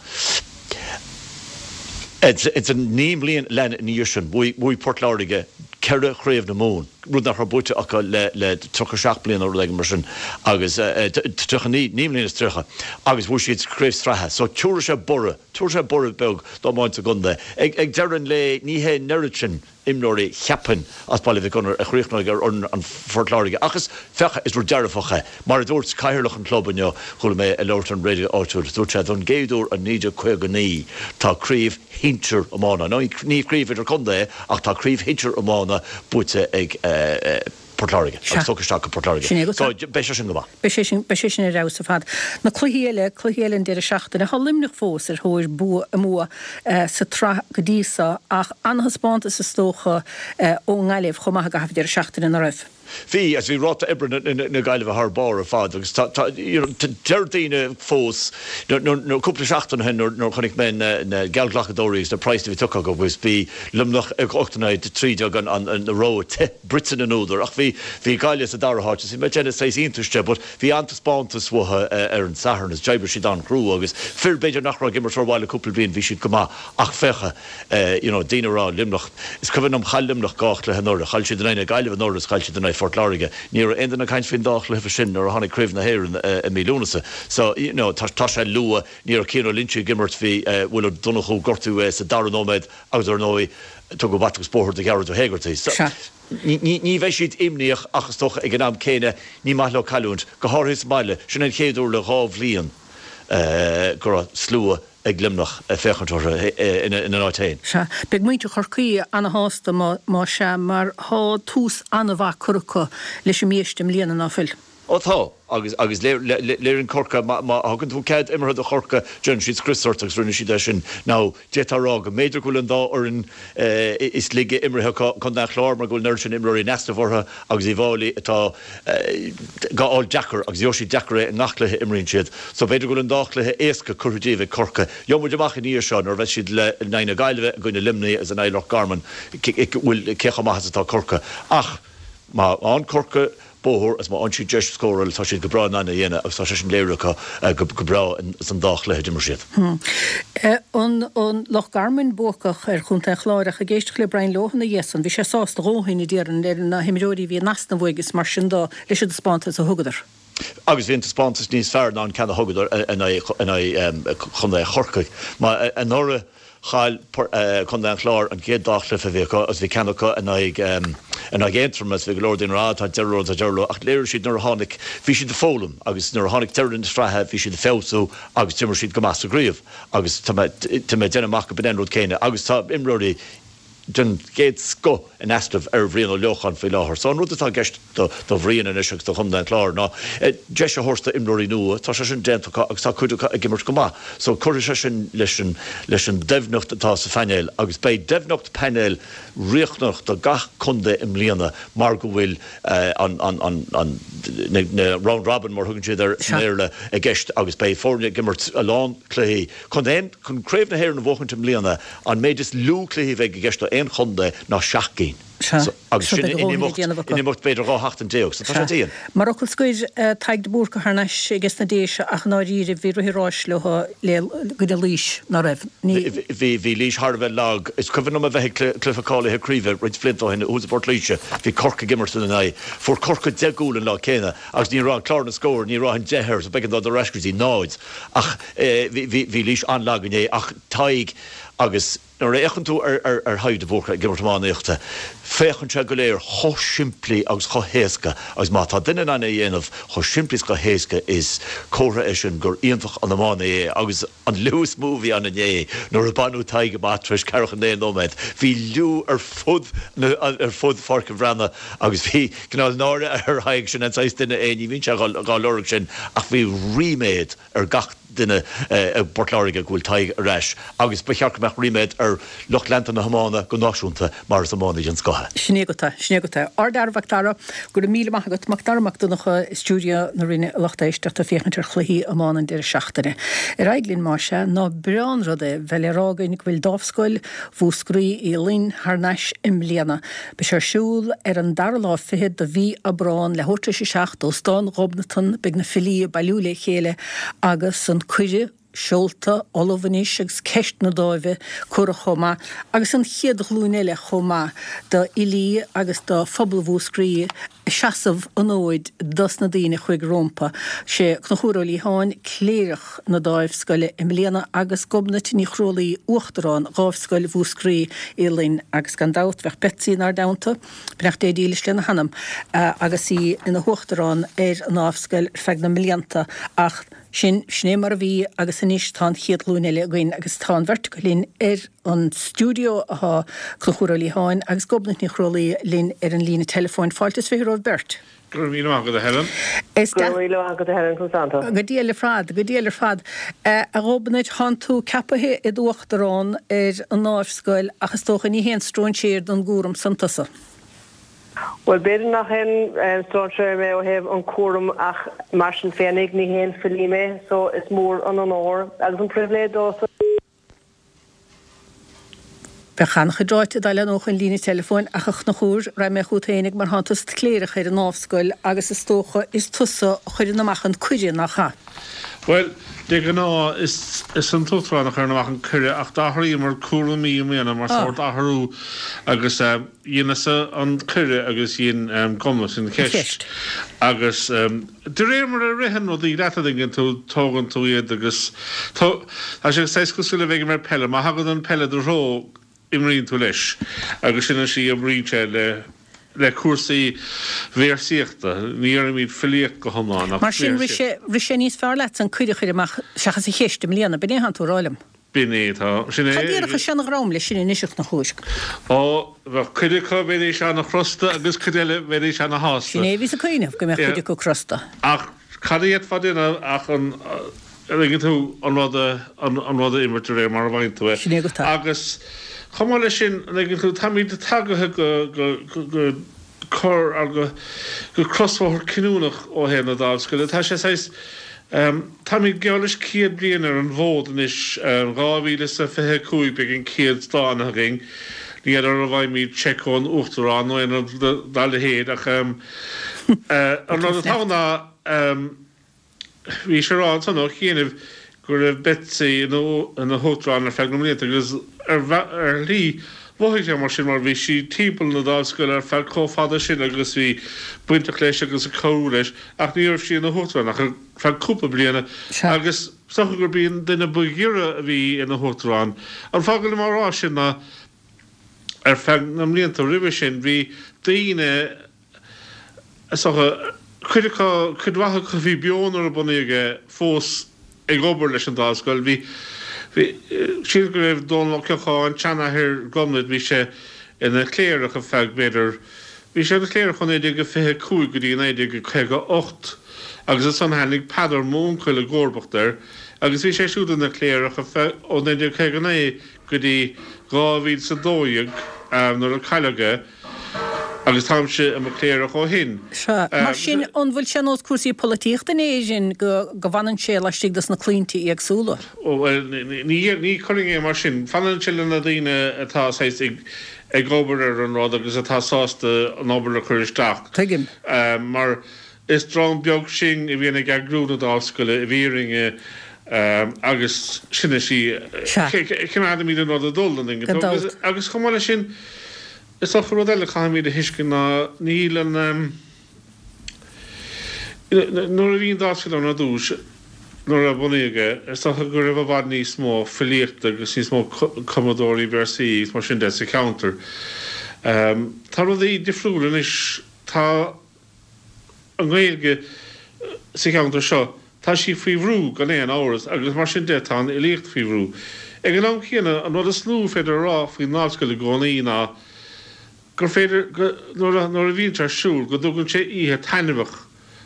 Ins an naoi mbliain a lean ina dhiaidh sin, bhuaigh Port Láirge ceithre Chraobh na Mumhan. rud nach raibh buaite acu le 37 bliain nó rud éigin mar sin agus 39, 9 mbliana is 30 agus bhuaigh siad craobh sraithe. So tiúrfaidh sé borradh, tiúrfaidh sé borradh beag d'iomáint sa gcontae. Ag deireadh an lae ní hé an oiread sin imreoirí cheapfainn as Baile Mhic Gonair a chríochnóidh ar fhoireann an Phort Láirge ach is, féach, is rud dearfach é. Mar a dúirt cathaoirleach an chlub inniu, chuala mé ag labhairt ar an raidió áitiúil, dúirt sé don gcéad uair ó 1959 tá craobh shinsir iomána, nó ní craobh idir-chontae ach tá craobh shinsir iomána buaite ag Port Láirge agus tugtha isteach go Port Láirge. So beidh sé sin go maith. Beidh sé sin, beidh sé sin ar fheabhas ar fad. Na cluichí eile, cluichí eile an deireadh seachtaine, tá Luimneach fós ar thóir bua, a mbua sa tsraith go dtí so ach an-thaispeántas is dócha ón nGaillimh chomh maith i gcaitheamh an deireadh seachtaine, ná raibh? Bhí, agus bhí ráta oibre na Gaillimhe thar barr ar fad agus tá, tá, you know, deir daoine fós, nuair, cúpla seachtain ó shin nuair a chonaic mé na geallghlacadóirí agus na praghsanna a bhí tugtha acu agus bhí Luimneach ag 8 in aghaidh 13 an rogha bruite na n-údar ach bhí, bhí Gaillimh sa dara háit agus bhí mé ag déanamh saghas iontais de but bhí an-taispeántas uathu ar an Satharn agus d'oibrigh siad an-chrua agus fir b'fhéidir nach raibh ag imirt rómhaith le cúpla bliain bhí siad go maith ach féach you know, daoine ag rá Luimneach, is cuimhin liom chaill Luimneach 2 chluiche anuraidh, chaill siad in aghaidh na Gaillimhe anuraidh is chaill siad in aghaidh Phort Láirge. Ní raibh aon duine ag caint faoin dá chluiche sin nuair a tháinig Craobh na hÉireann i mí Lúnasa. So, you know, tá, tá sé luath, ní raibh Cian Ó Loinsigh ag imirt, bhí Will Ó Donnchú, gortaíodh é sa dara nóiméad agus ar ndóigh tugadh bata agus bóthar do Ghearóid Ó hÉigeartaigh. So, ní, ní, ní bheidh siad imníoch ach is dócha ag an am céanna ní maith leo cailliúint, go háirithe sa mbaile. Sin an chéad uair le 2 bhliain go raibh slua ag Luimneach ag féachaint orthu ina n-áit féin. Sea, beidh muintir Chorcaí ana-shásta má sea, mar tá tús an-mhaith curtha acu leis an mbiaiste i mbliana, ná fuil? Ó tá, agus agus léiríonn Corcaigh, má thugann tú cead imeartha do Chorcaigh, déanann siad scrios ort agus rinne siad é sin. Now, d'fhéadfá a rá go mb'fhéidir go bhfuil an dá fhoireann is laige imeartha acu, Contae an Chláir mar go bhfuil an oiread sin imreoirí in easnamh orthu agus Uíbh Fháilí atá dhá fháil deacair agus gheobhaidh siad deacair é i ngach cluiche a imríonn siad. So b'fhéidir go bhfuil an dá chluiche éasca curtha díobh ag Corcaigh. Gheobhaidh muid amach ina dhiaidh seo nuair a bheas siad le in aghaidh na Gaillimhe, i gcoinne Luimnigh agus in aghaidh Loch Garman bhfuil cé chomh maith is atá Corcaigh. Ach má fhaigheann Corcaigh bóthar agus má fhaigheann siad deis scóráil tá siad go breá in ann é a dhéanamh agus tá sé sin léirithe acu go breá san dá chluiche a d'imir siad. An Loch Garman buacach ar Chontae an Chláir ach ag éisteacht le Brian Lohan ina dhiaidh san bhí sé sásta a dhóthain a déarfainn ar na himreoirí a bhí in easnamh uaidh is mar sin de leis an dtaispeántas a thugadar. Agus bhí an taispeántas níos fearr ná an ceann a thugadar in aghaidh Chontae Chorcaí. Mar anuraidh chaill Contae an Chláir an chéad dá chluiche a bhí acu agus bhí ceann acu in aghaidh in aghaidh Aontroim agus bhí go leor daoine ag rá tá deireadh leo, tá deireadh leo ach léirigh siad nuair a tháinig, bhí siad ag foghlaim agus nuair a tháinig deireadh na sraithe bhí siad ag feabhsú agus d'imir siad go maith sa gcraobh agus tá mé tá mé ag déanamh amach go b'in é an rud céanna agus tá imreoirí. den gcéad scoth in easnamh ar Bhrian Ó Leocháin faoi láthair. So an rud atá i gceist do Bhrian anois agus do Chontae an Chláir ná deis a thabhairt do imreoirí nua. Tá sé sin déanta acu agus tá cuid acu ag imirt go maith. So cuirfidh sé sin leis an leis an doimhneacht atá sa phainéal agus beidh doimhneacht painéil riachtanach do gach contae i mbliana mar go bhfuil an an an an na round robin mar a thugann siad air i mBéarla i gceist agus beidh foirne ag imirt a lán cluichí. Chun aon chun Craobh na hÉireann a bhuachaint i mbliana an méid is lú cluichí a bheidh i gceist do aon chontae ná 7 gcinn. Sea. Agus So sin beidh a in dhóthain le imeacht, déanamh acu. in imeacht b'fhéidir 12 sheachtain. So tá sé Sea. dian. Mar fhocal scoir, Tadhg de Búrca thar n-ais aige sna Déise ach i ndáiríre bhí rith an ráis leo i gcoinne Laois, ná raibh? Ní. Bhí, bhí Laois thar a bheith lag. Is cuimhin liom a bheith ag cluiche cáilithe craoibhe roinnt blianta ó shin thuas i bPort Laoise. Bhí Corcaigh ag imirt ina n-aghaidh. Fuair Corcaigh 10 gcúl an lá céanna agus ní raibh clár na scór, ní raibh an 10 air so b'éigean dó dul ar ais go dtí 0. Ach bhí Laois an-lag inné ach Tadhg agus nuair a fhéachann tú ar Thadhg de Búrca ag imirt iománaíochta, féachann sé go léir chomh simplí agus chomh héasca agus má tá duine in ann é a dhéanamh chomh simplí is chomh héasca is comhartha é sin gur iontach an iománaí é agus an liú is mó a bhí ann inné nuair a baineadh Tadhg amach tar éis ceathracha 9 nóiméad, bhí liú ar fud ar fud Pháirc an Bhreathnaigh agus bhí cineál náire ar Thadhg, sin an saghas duine é, ní bhíonn sé dhá lorg sin ach bhí ríméad ar gach duine i bPort Láirge go bhfuil Tadhg ar ais agus ba cheart go mbeadh ríméad ar lucht leanta na hiomána go náisiúnta mar is iománaí den scoth é. Sin é agat é, sin é agat é. Ardfhear Mhac Dara, go raibh míle maith agat. Mac Dara Mac Donncha i stiúideo na Rinne a lucht éisteachta ag féachaint ar chluichí iomána an deireadh seachtaine. Ar aghaidh linn más ea, ná breá an rud é bheith le rá againn go bhfuil Dámhscoil Mhúscraí Uí Fhloinn thar n-ais i mbliana. Beidh sé ar siúl ar an dara lá fichead de mhí Aibreán, leathuair tar éis a 7, Óstán Ghobnatan. Beidh na filí ag bailiú le chéile agus an cuireadh seolta, ullamh anois agus ceist na dáimhe curtha chomh maith, agus an chéad ghlúin eile chomh maith d'fhilí agus do phobal Mhúscraí ag seasamh an fhóid dos na daoine a chuaigh rómpa. Sé Conchúr Ó Liatháin, Cléireach na Dáimhscoile i mbliana agus Gobnait Ní Chrualaoi, Uachtarán Dhámhscoil Mhúscraí Uí Fhloinn agus gan dabht bheadh Betsy inár dteannta, beannacht Dé dílis lena hanam, agus í ina huachtarán ar an nDámhscoil ar feadh na mblianta ach sin, sin é mar a bhí agus anois tá an chéad ghlúin eile againn agus tá an bheirt acu linn ar an stiúideo atá Conchúr Ó Liatháin agus Gobnait Ní Chrualaoi linn ar an líne teileafóin. Fáilte is 20 romhaibh beirt. Go raibh míle maith agat, a Helen. Is Go raibh míle maith agat, a Helen, conas tánn tú? Go diail ar fad, go diail ar fad. A Ghobnait, thánn tú ceapaithe id uachtarán ar an nDámhscoil ach is dócha ní haon stróinséir don gcúram san tusa. Bhuel, b'fhéidir nach aon stróinséir mé ó thaobh an cúram ach mar sin féinig ní haon filí mé so is mór an onóir agus an pribhléid domhsa. Bheadh an-chuid ráite dá leathnódh an líne teileafóin ach a Chonchúir, raghaidh mé chugat fhéinig mar thánn tusa id chléireach ar an nDámhscoil agus is dócha is tusa a chuireann amach an cuireadh, nach ea? Bhuel, de ghnáth is an t-uachtarán a chuireann amach an cuireadh ach d'athraíomar cúraimí i mbliana mar sórt athrú agus dheineas-sa an cuireadh agus dhein Gobnait an cheist agus De réir mar a ritheann rudaí leat an dtuigeann tú, tógann tú iad agus tá sé saghas cosúil le bheith ag imirt peile, má thagann an peil i do threo, imríonn tú leis agus sin an slí a oibríonn sé le le cúrsaí véarsaíochta. Ní deirimid filíocht go hiomlán ach Mar sin, rith sé rith sé níos fearr leatsa an cuireadh a chur amach seachas an cheist i mbliana, b'in é atánn tú a rá liom? B'in é atá. Sin é. Cad a déarfadh seana-dhream leis sin anois a Chonchúir? Ó, bheadh cuid acu, bheidís ana-chrosta agus cuid eile, bheidís ana-shásta. Sin é a bhíos ag cuimhneamh, go mbeadh cuid acu crosta. Ach cad a d'fhéadfá a dhéanamh ach an, an dtuigeann tú, an rud a, an rud a imirt de réir mar a bhfaigheann tú é. Sin é agat é. Agus chomh maith leis sin, an dtuigeann tú, táimid tagaithe go, go, go, cor go, go crosbhóthar cinniúnach ó thaobh na Dámhscoile. Tá sé saghas, táimid geall leis 100 bliain ar an bhfód anois, 2025 beidh an céad stánaithe againn. Ní fheadar an bhfaighimid seic ón Uachtarán nó aon rud dá leithéid ach an rud atá ann ná, Bhís ag rá ansan ó chianaibh go raibh Betsy ina huachtarán ar feadh na mblianta agus ar shlí mhothaigh sé mar sin mar bhí sí timpeall na Dámhscoile ar feadh chomh fada sin agus bhí bainteach leis agus ag cabhrú leis ach ní raibh sí ina huachtarán ach ar feadh cúpla bliana agus is dócha gurb í an duine ba ghiorra a bhí ina huachtarán. An fáth go bhfuilim á rá sin ná ar feadh na mblianta roimhe sin bhí daoine Is dócha, cuid acu, cuid mhaith acu a bhí beo nuair a bunaíodh é, fós ag obair leis an Dámhscoil. Bhí, bhí, sílim go raibh Dónal Ó Ceocháin, seanathair Ghobnait, bhí sé. ina chléireach ar feadh, b'fhéidir, bhí sé ina chléireach ó 1925 go dtí 1958 agus ansan tháinig Peadar, m'úncail, i gcomharbacht air agus bhí sé siúd ina chléireach ar feadh, ó 1959 go dtí 2012 nuair a cailleadh é agus táimse i mo chléireach ó shin. Sea. Mar sin, an bhfuil sé ar nós cúrsaí polaitíochta in Éirinn go go bhfanann sé laistigh dos na claimhte éagsúla? Ó, bhuel, ní ní chuirfinn é mar sin. Fanann sé le na daoine atá saghas ag ag obair ar an rud agus atá sásta an obair a chur isteach. Tuigim. Mar is dream beag sinn a bhíonn ag eagrú na Dámhscoile i bhfírinne agus sin is í. Sea. Coimeádaimid an rud ag dul, an dtuigeann Gan tú? dabht. Agus chomh maith leis sin, is dócha rud eile a chaithfimid a thuiscint ná níl an, Nuair a bhí an Dámhscoil ann ar dtús, nuair a bunaíodh é, is dócha go raibh i bhfad níos mó filíochta agus níos mó cumadóirí véarsaí agus mar sin de sa cheantar. Tá rudaí difriúil anois. Tá an Ghaeilge sa cheantar seo, tá sí faoi bhrú gan aon amhras agus mar sin de tá an fhilíocht faoi bhrú. Ag an am céanna, an rud is lú féidir a rá faoin nDámhscoil i gcónaí ná gur féidir, go, nuair a, nuair a bhíonn sé ar siúl, go dtugann sé oíche taitneamhach,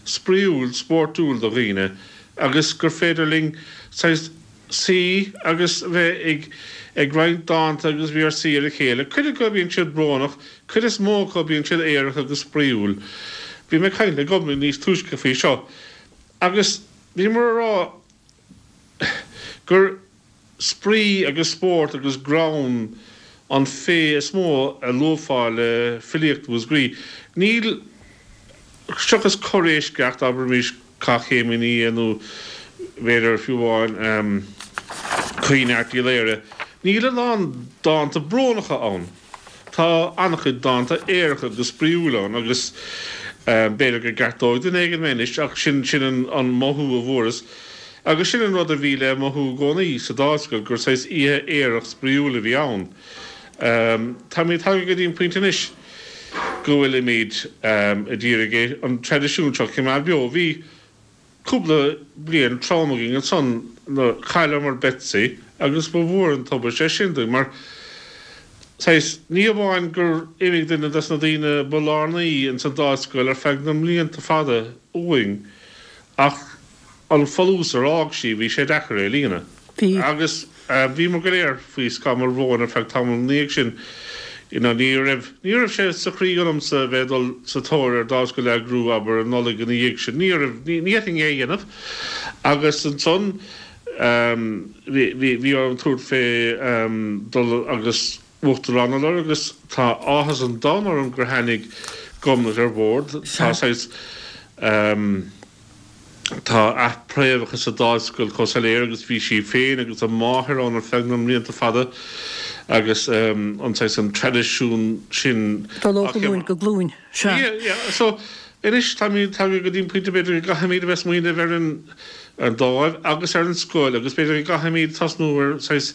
spraíúil, spórtúil do dhaoine agus gur féidir linn saghas suí agus bheith ag, ag roinnt dánta agus véarsaí ar a chéile. Cuid acu bíonn siad brónach, cuid is mó acu bíonn siad aerach agus spraíúil. Bhí mé ag caint le Gobnait níos túisce faoi seo agus bhíomar a rá gur, Spraoi agus spórt agus greann an féith is mó a luafá le filíocht Mhúscraí. Níl, seachas corr-eisceacht, abraimis Cath Chéim an Fhia nó b'fhéidir fiú amháin Caoineadh Airt Uí Laoghaire, níl a lán dánta brónacha ann. Tá an-chuid dánta aeracha agus spraíúil ann agus b'fhéidir go gceartóidh duine éigin mé anois ach sin sin an mothú a bhfuaireas agus sin an rud a bhí le mothú i gcónaí sa Dámhscoil gur saghas oíche aerach spraíúil a bhí ann. Táimid tagtha go dtí an pointe anois go bhfuilimid ag iarraidh an traidisiún seo a choimeád beo. Bhí. Cúpla bliain trom againn ansan nuair chailleamar Betsy agus ba mhór an tubaiste é sin dúinn mar, saghas, ní amháin gur imigh duine des na daoine ba lárnaí ins an Dámhscoil ar feadh na mblianta fada uainn ach an folús ar fhág sí, bhí sé deacair é a líonadh. Bhí. Agus bhíomar go léir faoi scamall bhróin ar feadh tamaill ina dhiaidh sin. You know, ní raibh, ní raibh sé sa chroí ionamsa a bheith ag dul sa tóir ar Dámhscoil a eagrú, abair, an Nollaig ina dhiaidh sin. Ní raibh, ní, ní fhéadfainn é a dhéanamh. Agus ansan, bhí, bhí, bhí orm tabhairt fé dul agus Uachtarán a lorg agus tá áthas an domhain orm gur tháinig Gobnait ar bhord. Tá saghas, Tá a préamhacha sa Dámhscoil chomh soiléir agus bhí sí féin agus a máthair ann ar feadh na mblianta fada agus an saghas an traidisiún sin Dul ó ghlúin go glúin, sea. Yeah, yeah. So, anois táimid tagtha go dtí an pointe b'fhéidir go gcaithfimid a bheith smaoineamh ar an dáimh agus ar an scoil agus b'fhéidir go gcaithfimid tosnú ar saghas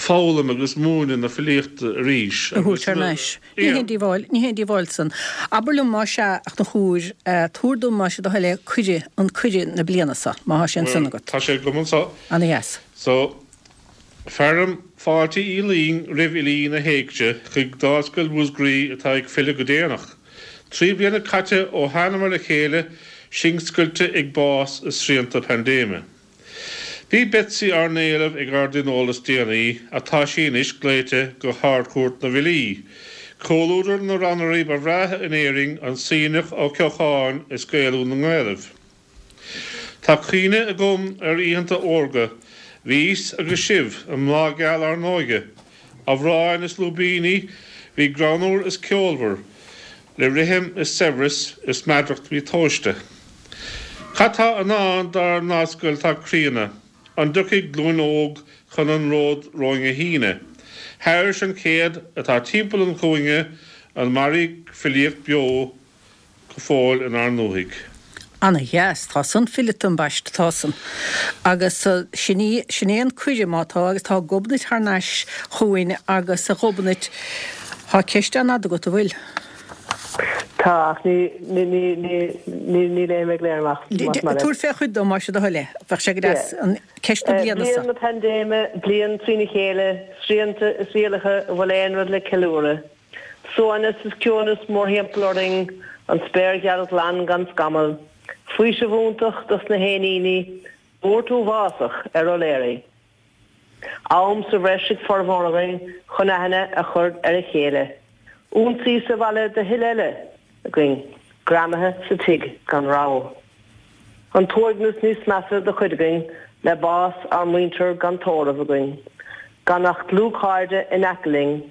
foghlaim agus múineadh na filíochta arís A thabhairt thar n-ais. Ní haon díobháil, ní haon díobháil san. Abair liom más ea, a Chonchúir, tabhair dom más é do thoil é cuireadh, an cuireadh na bliana so, má thá sé ansan agat. Tá sé agam anso. Ana dheas. So, fearaim fáilte Uí Fhloinn roimh fhilí na hÉigse chuig Dámhscoil Mhúscraí atá ag filleadh go déanach. 3 bliana caite ó thánamar le chéile, sinn scoilte ag bás is srianta paindéime. Bhí Betsy ár n-éileamh ag ár dtionól is déanaí ach tá sí anois glaoite go hArd-Chúirt na bhFilí. Comhluadar na rannairí ba bhreátha in Éirinn, an Suibhneach Ó Ceocháin is Gaelú na nGaelaibh. Tá cuimhne agam ar oícheanta órga, bhíos agus sibh i mbláth geal ár n-óige. Amhráin is lúibíní, bhí greannmhar is ceolmhar. Le rithim is saibhreas is meadracht bhí tomhaiste. Cad tá i ndán dár nDámhscoil atá críonna? An dtiocfaidh glúin óg chun an ród romhainn a shíneadh? Thairis an chéad atá timpeall an chúinne, an mairfidh filíocht beo go fóill inár ndúthaigh? Ana dheas. Tá san fileata ambaiste, tá san. Agus sin í, sin é an cuireadh má tá, agus tá Gobnait thar n-ais chugainn agus a Ghobnait, tá ceist an-fhada agat, an bhfuil? Tá, ach ní, ní, ní, ní, ní, ní léifidh mé go léir amach, más maith leat. Tabhair fé chuid dom, más é do thoil é. Bheadh sé go deas an ceist na bliana seo. Bliain na paindéime, bliain trína chéile, srianta is rialacha, an bhfuil aon rud le ceiliúradh? Suaimhneas is ciúnas mórthimpeall orainn, an spéir gheal ghlan gan scamall, faoiseamh iontach dos na héiníní, buairt uafásach ar fhoghlaeirí. Am sa bhreis ag formhór againn chun aithne a chur ar a chéile. Ionsaí sa bhaile do thuilleadh eile againn, greamaithe sa tigh gan rogha. An t-uaigneas níos measa do chuid againn le bás ár muintir gan tórramh againn, gan ach dlúthchairde in aice linn,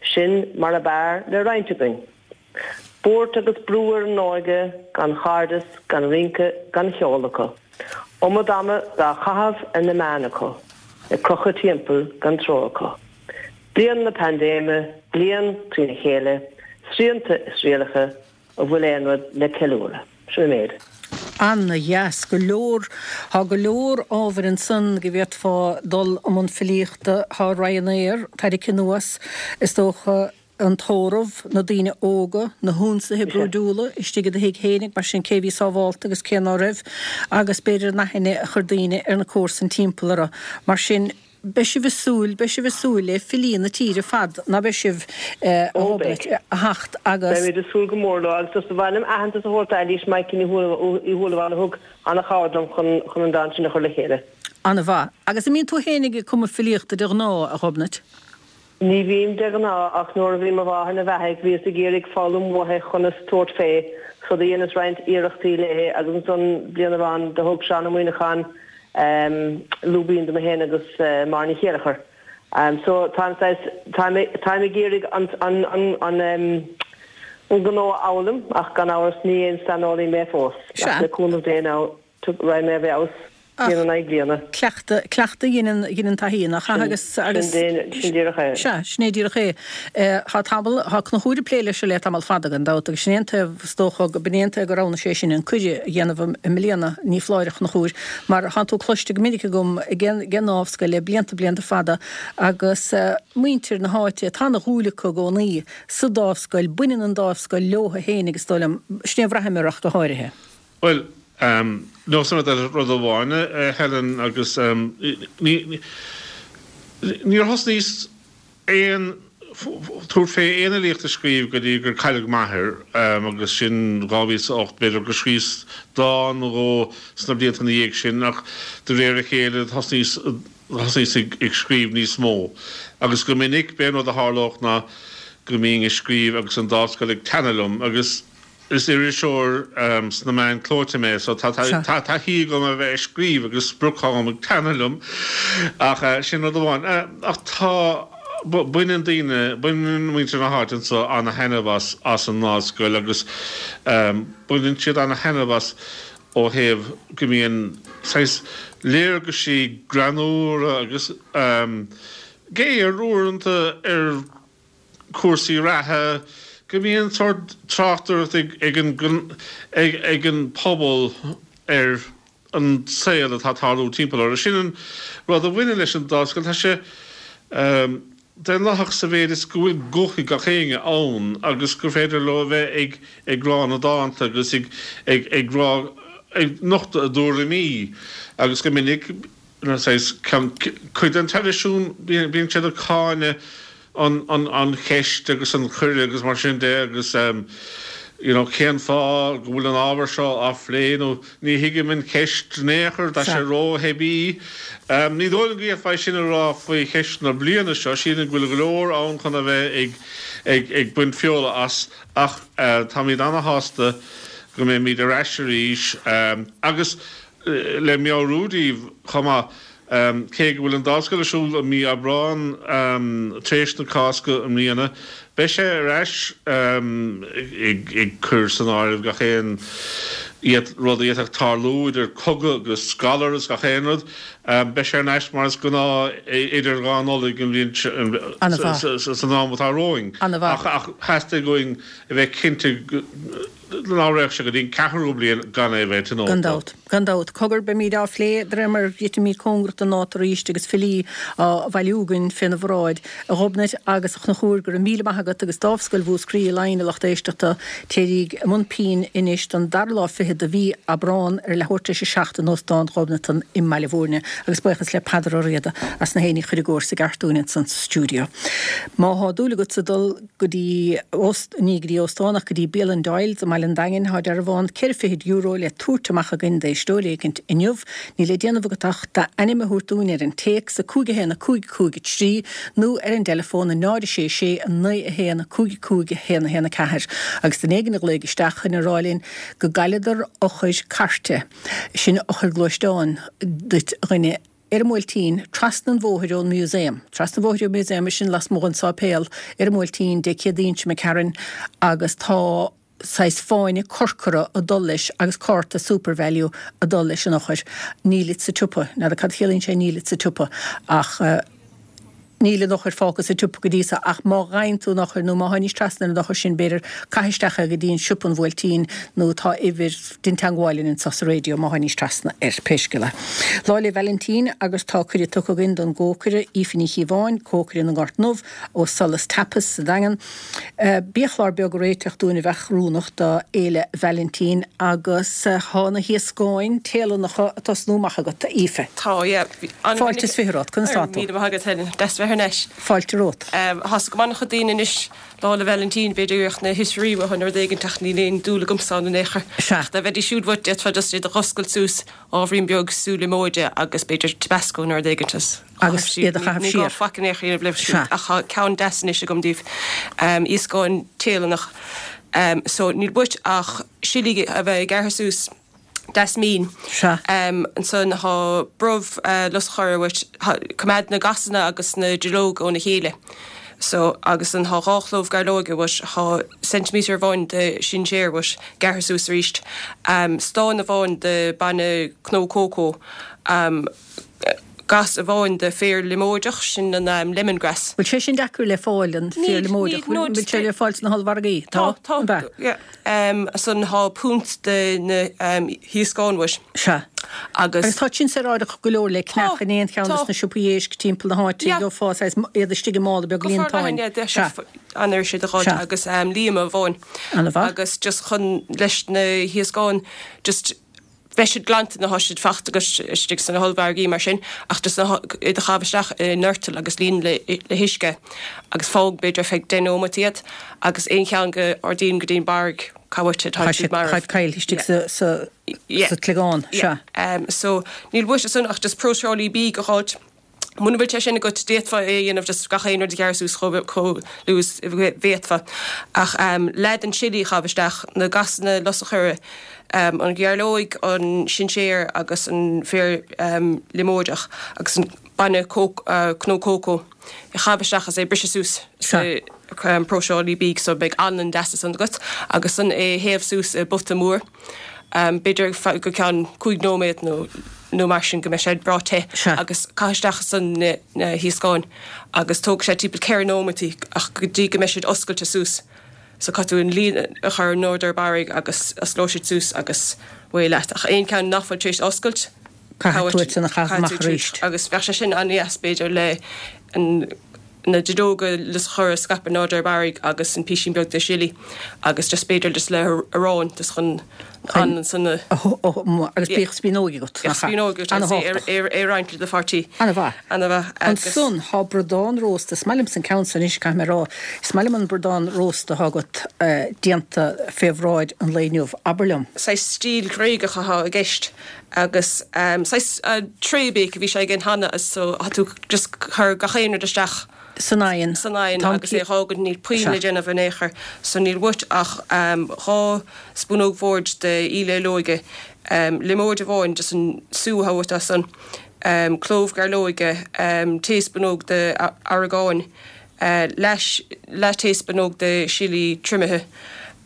sin mar ab fhearr le roinnt againn. Buairt agus brú ar an óige gan chairdeas, gan rince, gan cheol acu. Iomad ama dá chaitheamh ar na meáin acu, ag crochadh timpeall gan treo acu. Bliain na paindéime, bliain trína chéile, srianta is rialacha, an bhfuil aon rud le ceiliúradh? Sin an méid. Ana-dheas. Go leor, tá go leor ábhair ansan go bhféadfá dul i mbun filíochta. Tá Ryanair tarraingthe anuas, is dócha, an tórramh, na daoine óga, na hionsaithe brúidiúla istigh i do thigh fhéinig, mar sin cé a bhí sábhálta agus cé ná raibh, agus b'fhéidir an aithne a chuir daoine ar na comharsain timpeall orthu. Mar sin, beidh sibh ag súil, beidh sibh ag súil le filí na tíre ar fad, ná beidh sibh, a Ghobnait, a theacht agus. Beimid ag súil go mór leo agus just ba mhaith liom aitheantas a thabhairt d'Eilís Maidhcí Ní Shúilleabháin a thug an-chabhair dom chun an dán sin a chur le chéile. An-mhaith. Agus an mbíonn tú fhéinig ag cumadh filíochta de ghnáth, a Ghobnait? Ní bhím de ghnáth ach nuair a bhí mo mháthair 'na bheathaidh bhíos ag iarraidh foghlaim uaithi chonas tabhairt fé so do dheineas roinnt iarrachtaí léi agus ansan bliain amháin do thug Seán Ó Muíneacháin lúibín dom féin agus Máire Ní Chéilleachair. So táim saghas, táim, táim ag iarraidh an, an, an, an, an gnó a fhoghlaim ach gan amhras ní aon saineolaí mé fós ach le cúnamh Dé now raghaidh mé i bhfeabhas. Bliain in aghaidh bliana. Cleachtadh, cleachtadh a dheineann, a dheineann taithí, nach ea? Agus, agus. Sin, sin díreach é. Sea, sin é díreach é. Tá tamall, tá Conchúr ag plé leis seo le tamall fada gan dabht agus sin é an taobh, is dócha, b'in é an taobh gur roghnaigh sé sin an cuireadh a dhéanamh i mbliana, ní foláir a Chonchúir, mar tánn tú cloiste go minic agam ag an nDámhscoil le blianta, blianta fada agus muintir na háite, tá ana dhúil acu i gcónaí sa Dámhscoil, baineann an Dámhscoil leotha féinig is dóigh liom, sin é a bhraithim air ach go háirithe. Bhuel, neosfaidh mé duit rud amháin, a Helen, agus ní, níor thosnaíos aon, tabhairt fé aon fhilíocht a scríobh go dtí gur cailleadh m'athair, agus sin 2008. B'fhéidir gur scríos dán nó dhó sna blianta ina dhiaidh sin, ach de réir a chéile thosnaíos, thosnaíos ag scríobh níos mó. Agus go minic, b'é an rud a tharlódh ná go mbínn ag scríobh agus an Dámhscoil ag teannadh liom, agus. Is iriseoir sna meáin clóite mé so tá taithí agam a bheith ag scríobh agus sprioc-am ag teannadh liom ach sin rud amháin. Ach tá, baineann daoine, baineann muintir na háite anseo ana-thaitneamh as, as an nDámhscoil agus baineann siad ana-thaitneamh as ó thaobh go mbíonn saghas léargaisí greannmhara agus géar uaireanta ar cúrsaí reatha, go mbíonn sórt tráchtaireacht ag an ag an pobal ar an saol atá ag tarlú timpeall orthu. Sin an rud a bhaineann leis an Dámhscoil, tá sé daonlathach sa mhéid is go bhfuil guth ag gach éinne ann agus gur féidir leo a bheith ag ag rá na dánta agus ag ag ag rá ag nochtadh a dtuairimí agus go minic saghas cuid den traidisiún, bíonn siad ag cáineadh an cheist agus an chuireadh agus mar sin de agus you know cén fáth go bhfuil an ábhar seo á phlé nó ní thuigim an cheist in aon chor, tá sé ró-theibí. Ní dóigh liom go bhféadfá é sin a rá faoi cheist na bliana seo, sílim go bhfuil go leor ann chun a bheith ag ag ag baint feola as ach táimid ana-shásta go mbeimid ar ais arís agus Le meabhrú daoibh chomh maith, cé go bhfuil an Dámhscoil ar siúl i mí Aibreán tar éis na Cásca i mbliana, beidh sé ar ais ag cur san áireamh gach aon rud a d'fhéadfadh tarlú, idir cogadh agus galar is gach aon rud. Beidh sé ar ais mar is gnáth idir dhá Nollaig an bhliain san am atá romhainn. Ach theastaigh uainn a bheith cinnte go. Ná raghadh sé go dtí an ceathrú bliain gan é a bheith tionólta. Gan dabht. Gan dabht. Cogar, beimíd á phlé de réir mar a dhruidfimíd cóngarach don dáta arís agus filí á bhailiú againn féna bhráid. A Ghobnait agus a Chonchúir, go raibh míle maith agat agus Dámhscoil Mhúscraí i Laighin, a lucht éisteachta, téiríg i mbun pinn anois don dara lá fichead de mhí Aibreán ar a leathuair tar éis a 7 in Óstán Ghobnatan i mBaile Bhúirne. Agus buíochas le Peadar Ó Riada as na héinní a chur i gcomhar sa gceart dúinn ansan sa stiúideo. Má thá dúil agatsa dul go dtí óst, ní go dtí óstán ach go dtí bialann Doyle's i mBaile an Daingin. Tá dearbhán €24 le tabhairt amach againn d'éisteoir éicint inniu. Níl le déanamh agat ach d'ainm a thabhairt dúinn ar an téacs, 5 1 5 5 3, nó ar an dteileafón, 0 6 6 9 1 5 5 1 1 4. Agus duine éigin a ghlaoigh isteach chun a rá linn go gcailleadar eochair cairte, sin eochair gluaisteáin duit a dhuine, ar an mBuailtín, trasna an bhóthair ón Museum. Trasna an bhóthair ón Museum, sin lasmuigh den sáipéal, ar an mBuailtín, Dé Céadaoin seo imigh tharainn agus tá saghas fáinne corcra ag dul leis agus cárta Supervalu ag dul leis an eochair. Nílid sa tsiopa. N'fheadar cad a chiallaíonn sé nílid sa tsiopa ach. Níl an eochair fágtha sa tsiopa go dtí so ach má fhaigheann tú an eochair nó má tháinís trasna ar an eochair sin b'fhéidir caith isteach é go dtí an siopa an Bhuailtín nó tá uimhir dein teangmháil linn anso sa raidió má tháinís trasna air, pé scéal é. Lá 'le Vailintín agus tá cuireadh tugtha againn don gcócaire Aoife Ní Chíobháin, cócaire na nGort nDubh ó Solas Tapas sa Daingean, biachlár beag a réiteach dúinn a bheadh oiriúnach do Fhéile Vailintín agus tá na hiascáin Téalannacha ag tosnú amach agat, a Aoife. Tá, yeah. Fáilte is fiche romhat, conas tá tú? Míle maith agat Helen, deas bheith thar n-ais. Fáilte romhat. Tá's agam an-chuid daoine anois Lá 'le Vailintín, b'fhéidir go mbeadh na hoisrí uathu nó rud éigin ach níl aon dúil agamsa ann in aon chor. Sea. Ach dá mbeidís siúd uait d'fhéadfá just iad a dh'oscailt suas ábhairín beag sú liomóide agus b'fhéidir tabasco nó rud éigin is. Agus iad a chaitheamh siar. Ní gá faic in aon chor a dhéanamh leo siúd ach tá ceann deas anois agam daoibh, iascáin Téalannach. So níl uait ach sillí a bheith gearrtha suas deas mín. Sea. Ansan tá brobh lus an choire uait, coimeád na gasanna agus na duilleoga óna chéile. So agus ansan tá dhá chlóbh gairleoige uait, tá ceintiméadar amháin de sinséar uait gearrtha suas arís, stán amháin de bainne cnó cócó, gas amháin de féar liomóideach, sin an lemongrass. Bhfuil sé sin deacair le fáil, an féar liomóideach? Bhfuil sé le fáil sna hollmhargaí? Tá, tá. Ab ea? Yeah. Ansan tá punt de na hiascáin uait. Sea. Agus. Agus tá sin saoráideach go leor le ceannach in aon cheann de na siopaí éisc timpeall na háite. Gheofá saghas iad istigh i mála beag líontáin. Sea. An-éasca a dh'fháil agus líoma amháin. An-mhaith. Agus just chun leis na hiascáin just beidh siad glanta nuair atá siad faighte agat istigh sna hollmhargaí mar sin ach just iad a chaitheamh isteach i ndoirteal agus líon le huisce agus fág b'fhéidir ar feadh deich nóimeat iad agus aon cheann go ardaíonn go dtí'n barraigh cá bhfuil tá siad marbh. Tá siad caillte istigh sa tsliogán, sea. So níl uait ansan ach just próiseálaí bídh a dh'fháilt. Muna bhfuil sé sin agat, d'fhéadfá é a dhéanamh just gach aon rud a ghearradh suas chomh luath is a bhféadfá. Ach leath den sillí a chaitheamh isteach, na gasanna lus an choire, an ghairleoig, an sinséar agus an féar liomóideach agus an bainne cnó cócó a chaitheamh isteach agus é a briseadh suas sa próiseálaí bídh so beidh anlann deas ansan agat agus ansan é a théamh suas i bpota mór. b'fhéidir go ceann 5 nóiméad nó nó mar sin go mbeidh sé breá te agus caith isteach ansan na hiascáin agus tógfaidh sé timpeall 4 nóimeataí ach go dtí go mbeidh siad oscailte suas so caithfidh tú an líon a chur in ard ar barraigh agus osclóidh siad suas agus away leat ach aon ceann nach bhfuil tar éis oscailt caithfidh tú iad san a chaitheamh amach arís. Agus bheadh sé sin an-dheas b'fhéidir le an na duilleoga lus an choire a scaipeadh in airde ar barraigh agus an písín beag de sillí agus just b'fhéidir just le arán just chun an san a agus bíodh spíonóig agat nach ea? Spíonóig agat agus é a roinnt le do pháirtí. Ana-mhaith. Ana-mhaith agus. Ansan thá bradán rósta, is maith liomsa an ceann san anois caithfidh mé a rá, is maith liom an bradán rósta athá agat déanta fé bhráid an lae inniu, abair liom. Saghas stíl Ghréagach athá i gceist Agus saghas tray bake a bhí sé again cheana so tá tú just cur gach aon rud isteach san oigheann san oigheann agus é a dh'fhágaint níl puinn le déanamh in aon chor so níl uait ach 2 spúnóg bhoird de íle olóige, liomóid amháin just an sú atá uait as san, clóbh gairleoige, taespúnóg de aireagán, leath leath-taespúnóg de sillí triomaithe,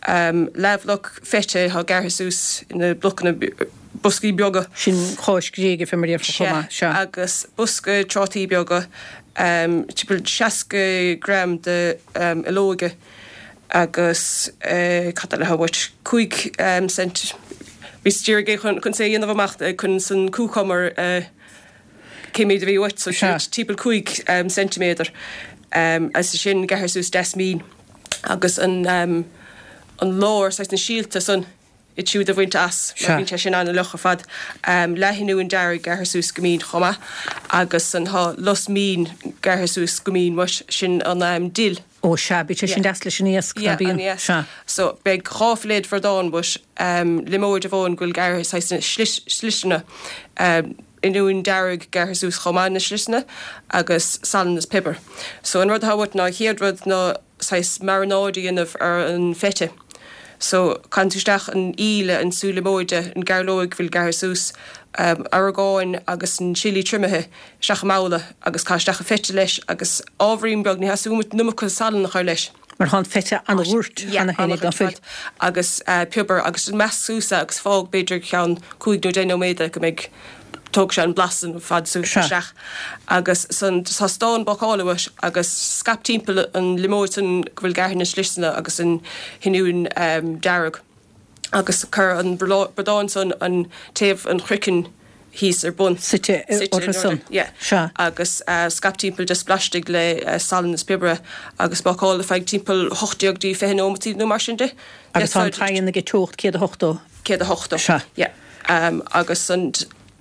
leathbhloc feta atá gearrtha suas ina blocanna, boscaí beaga. Sin cáis Ghréige fé mar a déarfá chomh maith, sea. Agus bosca trátaí beaga, timpeall 60 gram de olóige. Agus cad eile atá uait? 5 cent. Bhíos d'iarraidh é chun chun é a dhéanamh amach chun san cúcumar cé méid a bhí uait so Sea. timpeall 5 ceintiméadar. Agus sin gearrtha suas deas mín agus an an lár saghas na síolta san iad siúd a bhaint as mar bíonn sé sin an-fhliuch ar fad. Leath-oinniún dearg gearrtha suas go mín chomh maith agus an tá lus mín gearrtha suas go mín uait, sin an dill. Ó sea, bíonn sé sin deas leis an iasc, ná Yeah, bíonn? an iasc. Sea. So beidh 2 filléad bhradán uait, liomóid amháin go bhfuil gearrtha saghas ina sliseanna, oinniún dearg gearrtha suas chomh maith ina sliseanna agus salann is piobar. So an rud atá uait ná an chéad rud ná saghas marannáid a dhéanamh ar an feta. So, caitheann tú isteach an íle, an sú liomóide, an gairleoig a bhfuil gearrtha suas, orgáin agus an chilli triomaithe isteach i mbabhla agus caith isteach an feta leis agus ábhairín beag, ní theastaíonn uait an iomarca salainn a chur leis. Mar tá an feta an-dhúirt cheana féin ag an fuil. Agus piobar agus measc suas é agus fág b'fhéidir ceann cúig nó deich nóiméad go mbeidh tógfaidh sé an blas ar fad suas isteach agus san tá stán bácála uait agus scaip timpeall an liomóid san go bhfuil gearrtha ina sliseanna agus an t-oinniún dearg agus cuir an bradán san an taobh an chroiceann thíos ar bun. Suite orthu san. Yeah. Sea. Agus scaip timpeall just blaistigh le salann is piobar agus bácáil ar feadh timpeall 18 dtí 20 nóimeataí nó mar sin de. Agus tá an t-oigheann ag teocht 180. 180. Sea. Yeah. Agus an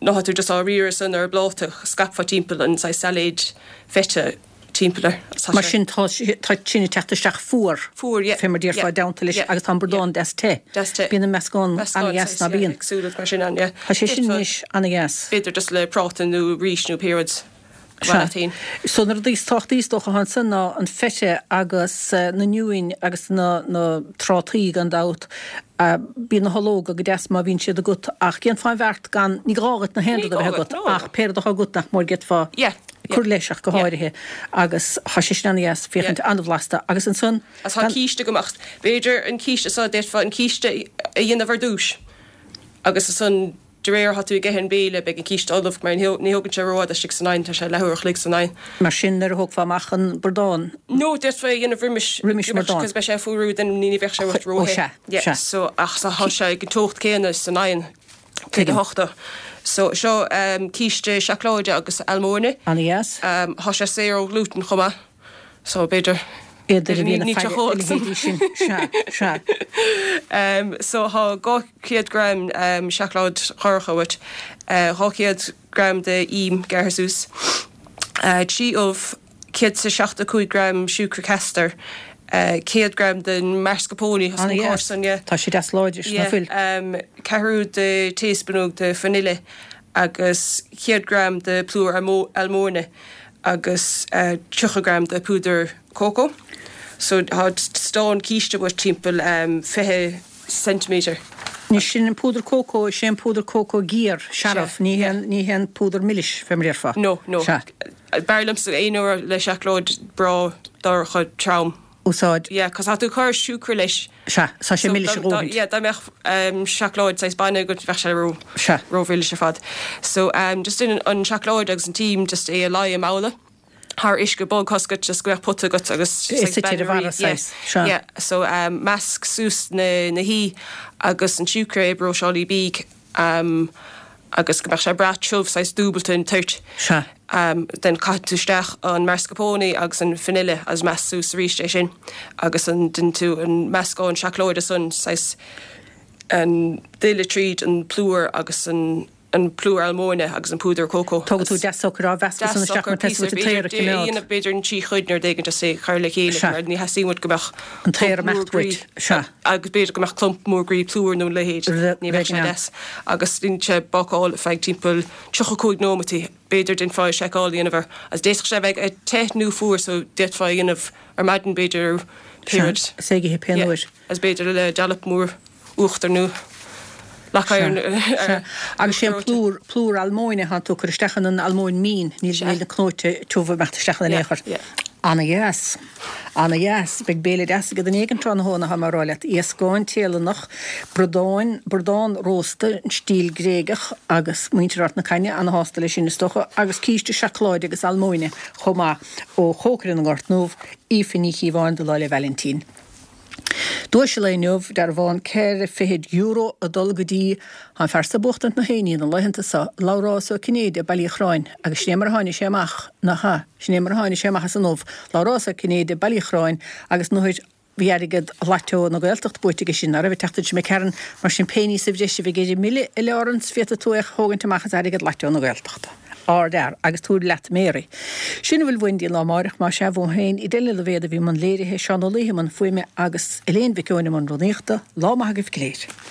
nuair atá tú just á riaradh san ar an bpláta, scaipfeá timpeall an saghas sailéid feta timpeall air. Tá Mar sin tá tá sin ag teacht isteach fuar. Fuar, yeah. Fé mar déarfá i dteannta leis agus tá an bradán deas te. Deas te. Bíonn an meascán an-dheas ná bíonn? Éagsúil mar sin ann, yeah. Tá sé sin anois an-dheas. B'fhéidir just le práta nó rís nó pé rud. Sea. So na rudaí is tábhachtaí is dócha atá ansan ná an feta agus na oinniúin agus na na trátaí gan dabht. Bíonn na hológa go deas má bhíonn siad agat ach dhéanfá an bheart gan, ní gá dhuit na haon rud a bheith agat ach pé rud atá agat nach mór d'fhéadfá cur leis ach go háirithe agus tá sé sin an-dheas féachaint an-bhlasta agus ansan Agus tá císte agam ach b'fhéidir an císte so d'fhéadfá an císte a dhéanamh ar dtúis agus ansan De réir atá tú ag ithe an béile, beidh an císte ullamh, mar ní thógann sé rófhada istigh san oigheann, tá sé leathuair a chloig san oigheann. Mar sin, nuair a thógfá amach an bradán. No, d'fhéadfá é a dhéanamh roimis. Roimis an mbradán. Cos beidh sé ag fuarú, then ní bheadh sé ró-the. Ó sea, Yeah, sea. so, ach tá sé ag an teocht céanna san oigheann, 180. So, seo císte seacláide agus almóinne. Ana-dheas. Tá sé saor ó ghlútan chomh maith. So, b'fhéidir. B'fhéidir a bhíonn ag faire a leithéidí sin. Sea, sea. So, tá 200 gram seacláid dhorcha uait, 200 gram de ím gearrtha suas, 3 ubh, 175 gram siúcra castar, 100 gram den mascarpone, as an gcás san, yeah. Tá sé deas láidir, ná fuil? Yeah, ceathrú de taespúnóg de vanilla agus 100 gram de plúr almóinne. agus 30 gram de púdar cócó. So tá stán císte uait timpeall 20 ceintiméadar. Anois sin an púdar cócó, is é an púdar cócó géar, searbh, ní hé an, ní hé an púdar milis, fé mar a déarfá. No, no. Sea. B'fhearr liomsa aon uair le seacláid breá dorcha trom. Úsáid. Yeah, cos tá tú ag cur siúcra leis. Sea, tá sé milis a dhóthaint. Yeah, dá mbeadh seacláid saghas bainne agat bheadh sé ró, Sea. ró-mhilis ar fad. So, just déan an seacláid agus an t-im, just é a leá i mbabhla thar uisce bog tá a fhios agat just go mbeadh pota agat agus É suite ar a bharra saghas. Yeah, yeah. So, measc suas na, na hí agus an siúcra i bpróiseálaí bídh. agus go mbeadh sé breá tiubh, saghas dúbalta an toirt. Sea. Then caitheann tú isteach an mascarpone agus an vanilla agus measc suas arís é sin agus an déanann tú an meascán seacláide san, saghas an duille tríd an plúr agus an an plúr almóinne agus an púdar cócó. Tógann tú deas socair á mheascadh san isteach mar tá an t-aer a choimeád. B'fhéidir an trí chuid nó rud éigin just é chur le chéile mar ní theastaíonn uait go mbeadh an t-aer ag imeacht uait. Sea. Agus b'fhéidir go mbeadh clump mór groí plúir nó a leithéid. Ní bheadh sé deas. Agus déanann sé bácáil ar feadh timpeall 35 nóimeataí. B'fhéidir déanfá seiceáil a dhéanamh air. Agus d'fhéadfadh sé a bheith te nó fuar so d'fhéadfá a dhéanamh ar maidin b'fhéidir pé rud. Sea, is é ag ithe pé uair. Agus b'fhéidir le dollop mór uachtair nó leac oighir Sea. Agus sé an plúr, plúr almóinne atá tú ag cur isteach ann, an almóinn mín, níl, níl na cnóite tiubha ag imeacht isteach in aon chor. Ana-dheas. Ana-dheas. Beidh béile deas agat in éigin tráthnóna, tá mé a rá leat. Iascán Téalannach, bradáin, bradán rósta, an stíl Gréigeach, agus muintir Ard na Caithne ana-shásta leis sin is dócha, agus císte seacláide agus almóinne chomh maith ó chócaire na nGort nDubh, Aoife Ní Chíobháin do Lá 'le Vailintín. Duais an lae inniu, dearbhán €24 ag dul go dtí an fear so buachtaint na héiní na laethanta so, Labhrás Ó Cinnéide, Baile Uí Chorráin, agus sin é mar a tháinig sé amach, nach ea, sin é mar a tháinig sé amach as an ubh, Labhrás Ó Cinnéide, Baile Uí Chorráin, agus nuair bhí airgead Lotto na Gaeltachta buaite aige sin, ná raibh an tseachtain seo imigh tharainn, mar sin pé ní sa bhreis a bheidh ar an mbille, a Laurence, féadfaidh tú é a thógaint amach as airgead Lotto na Gaeltachta. Ardfhear, agus tabhair leat Mary. Sin a bhfuil uainn go dtí an lá amáireach, más ea, uaim féin, Edel Ní Loibhéad a bhí i mbun léirithe, Seán Ó Laoithe i mbun fuaime agus Elaine Mhic Eoin i mbun rúnaíochta. Lá maith agaibh go léir.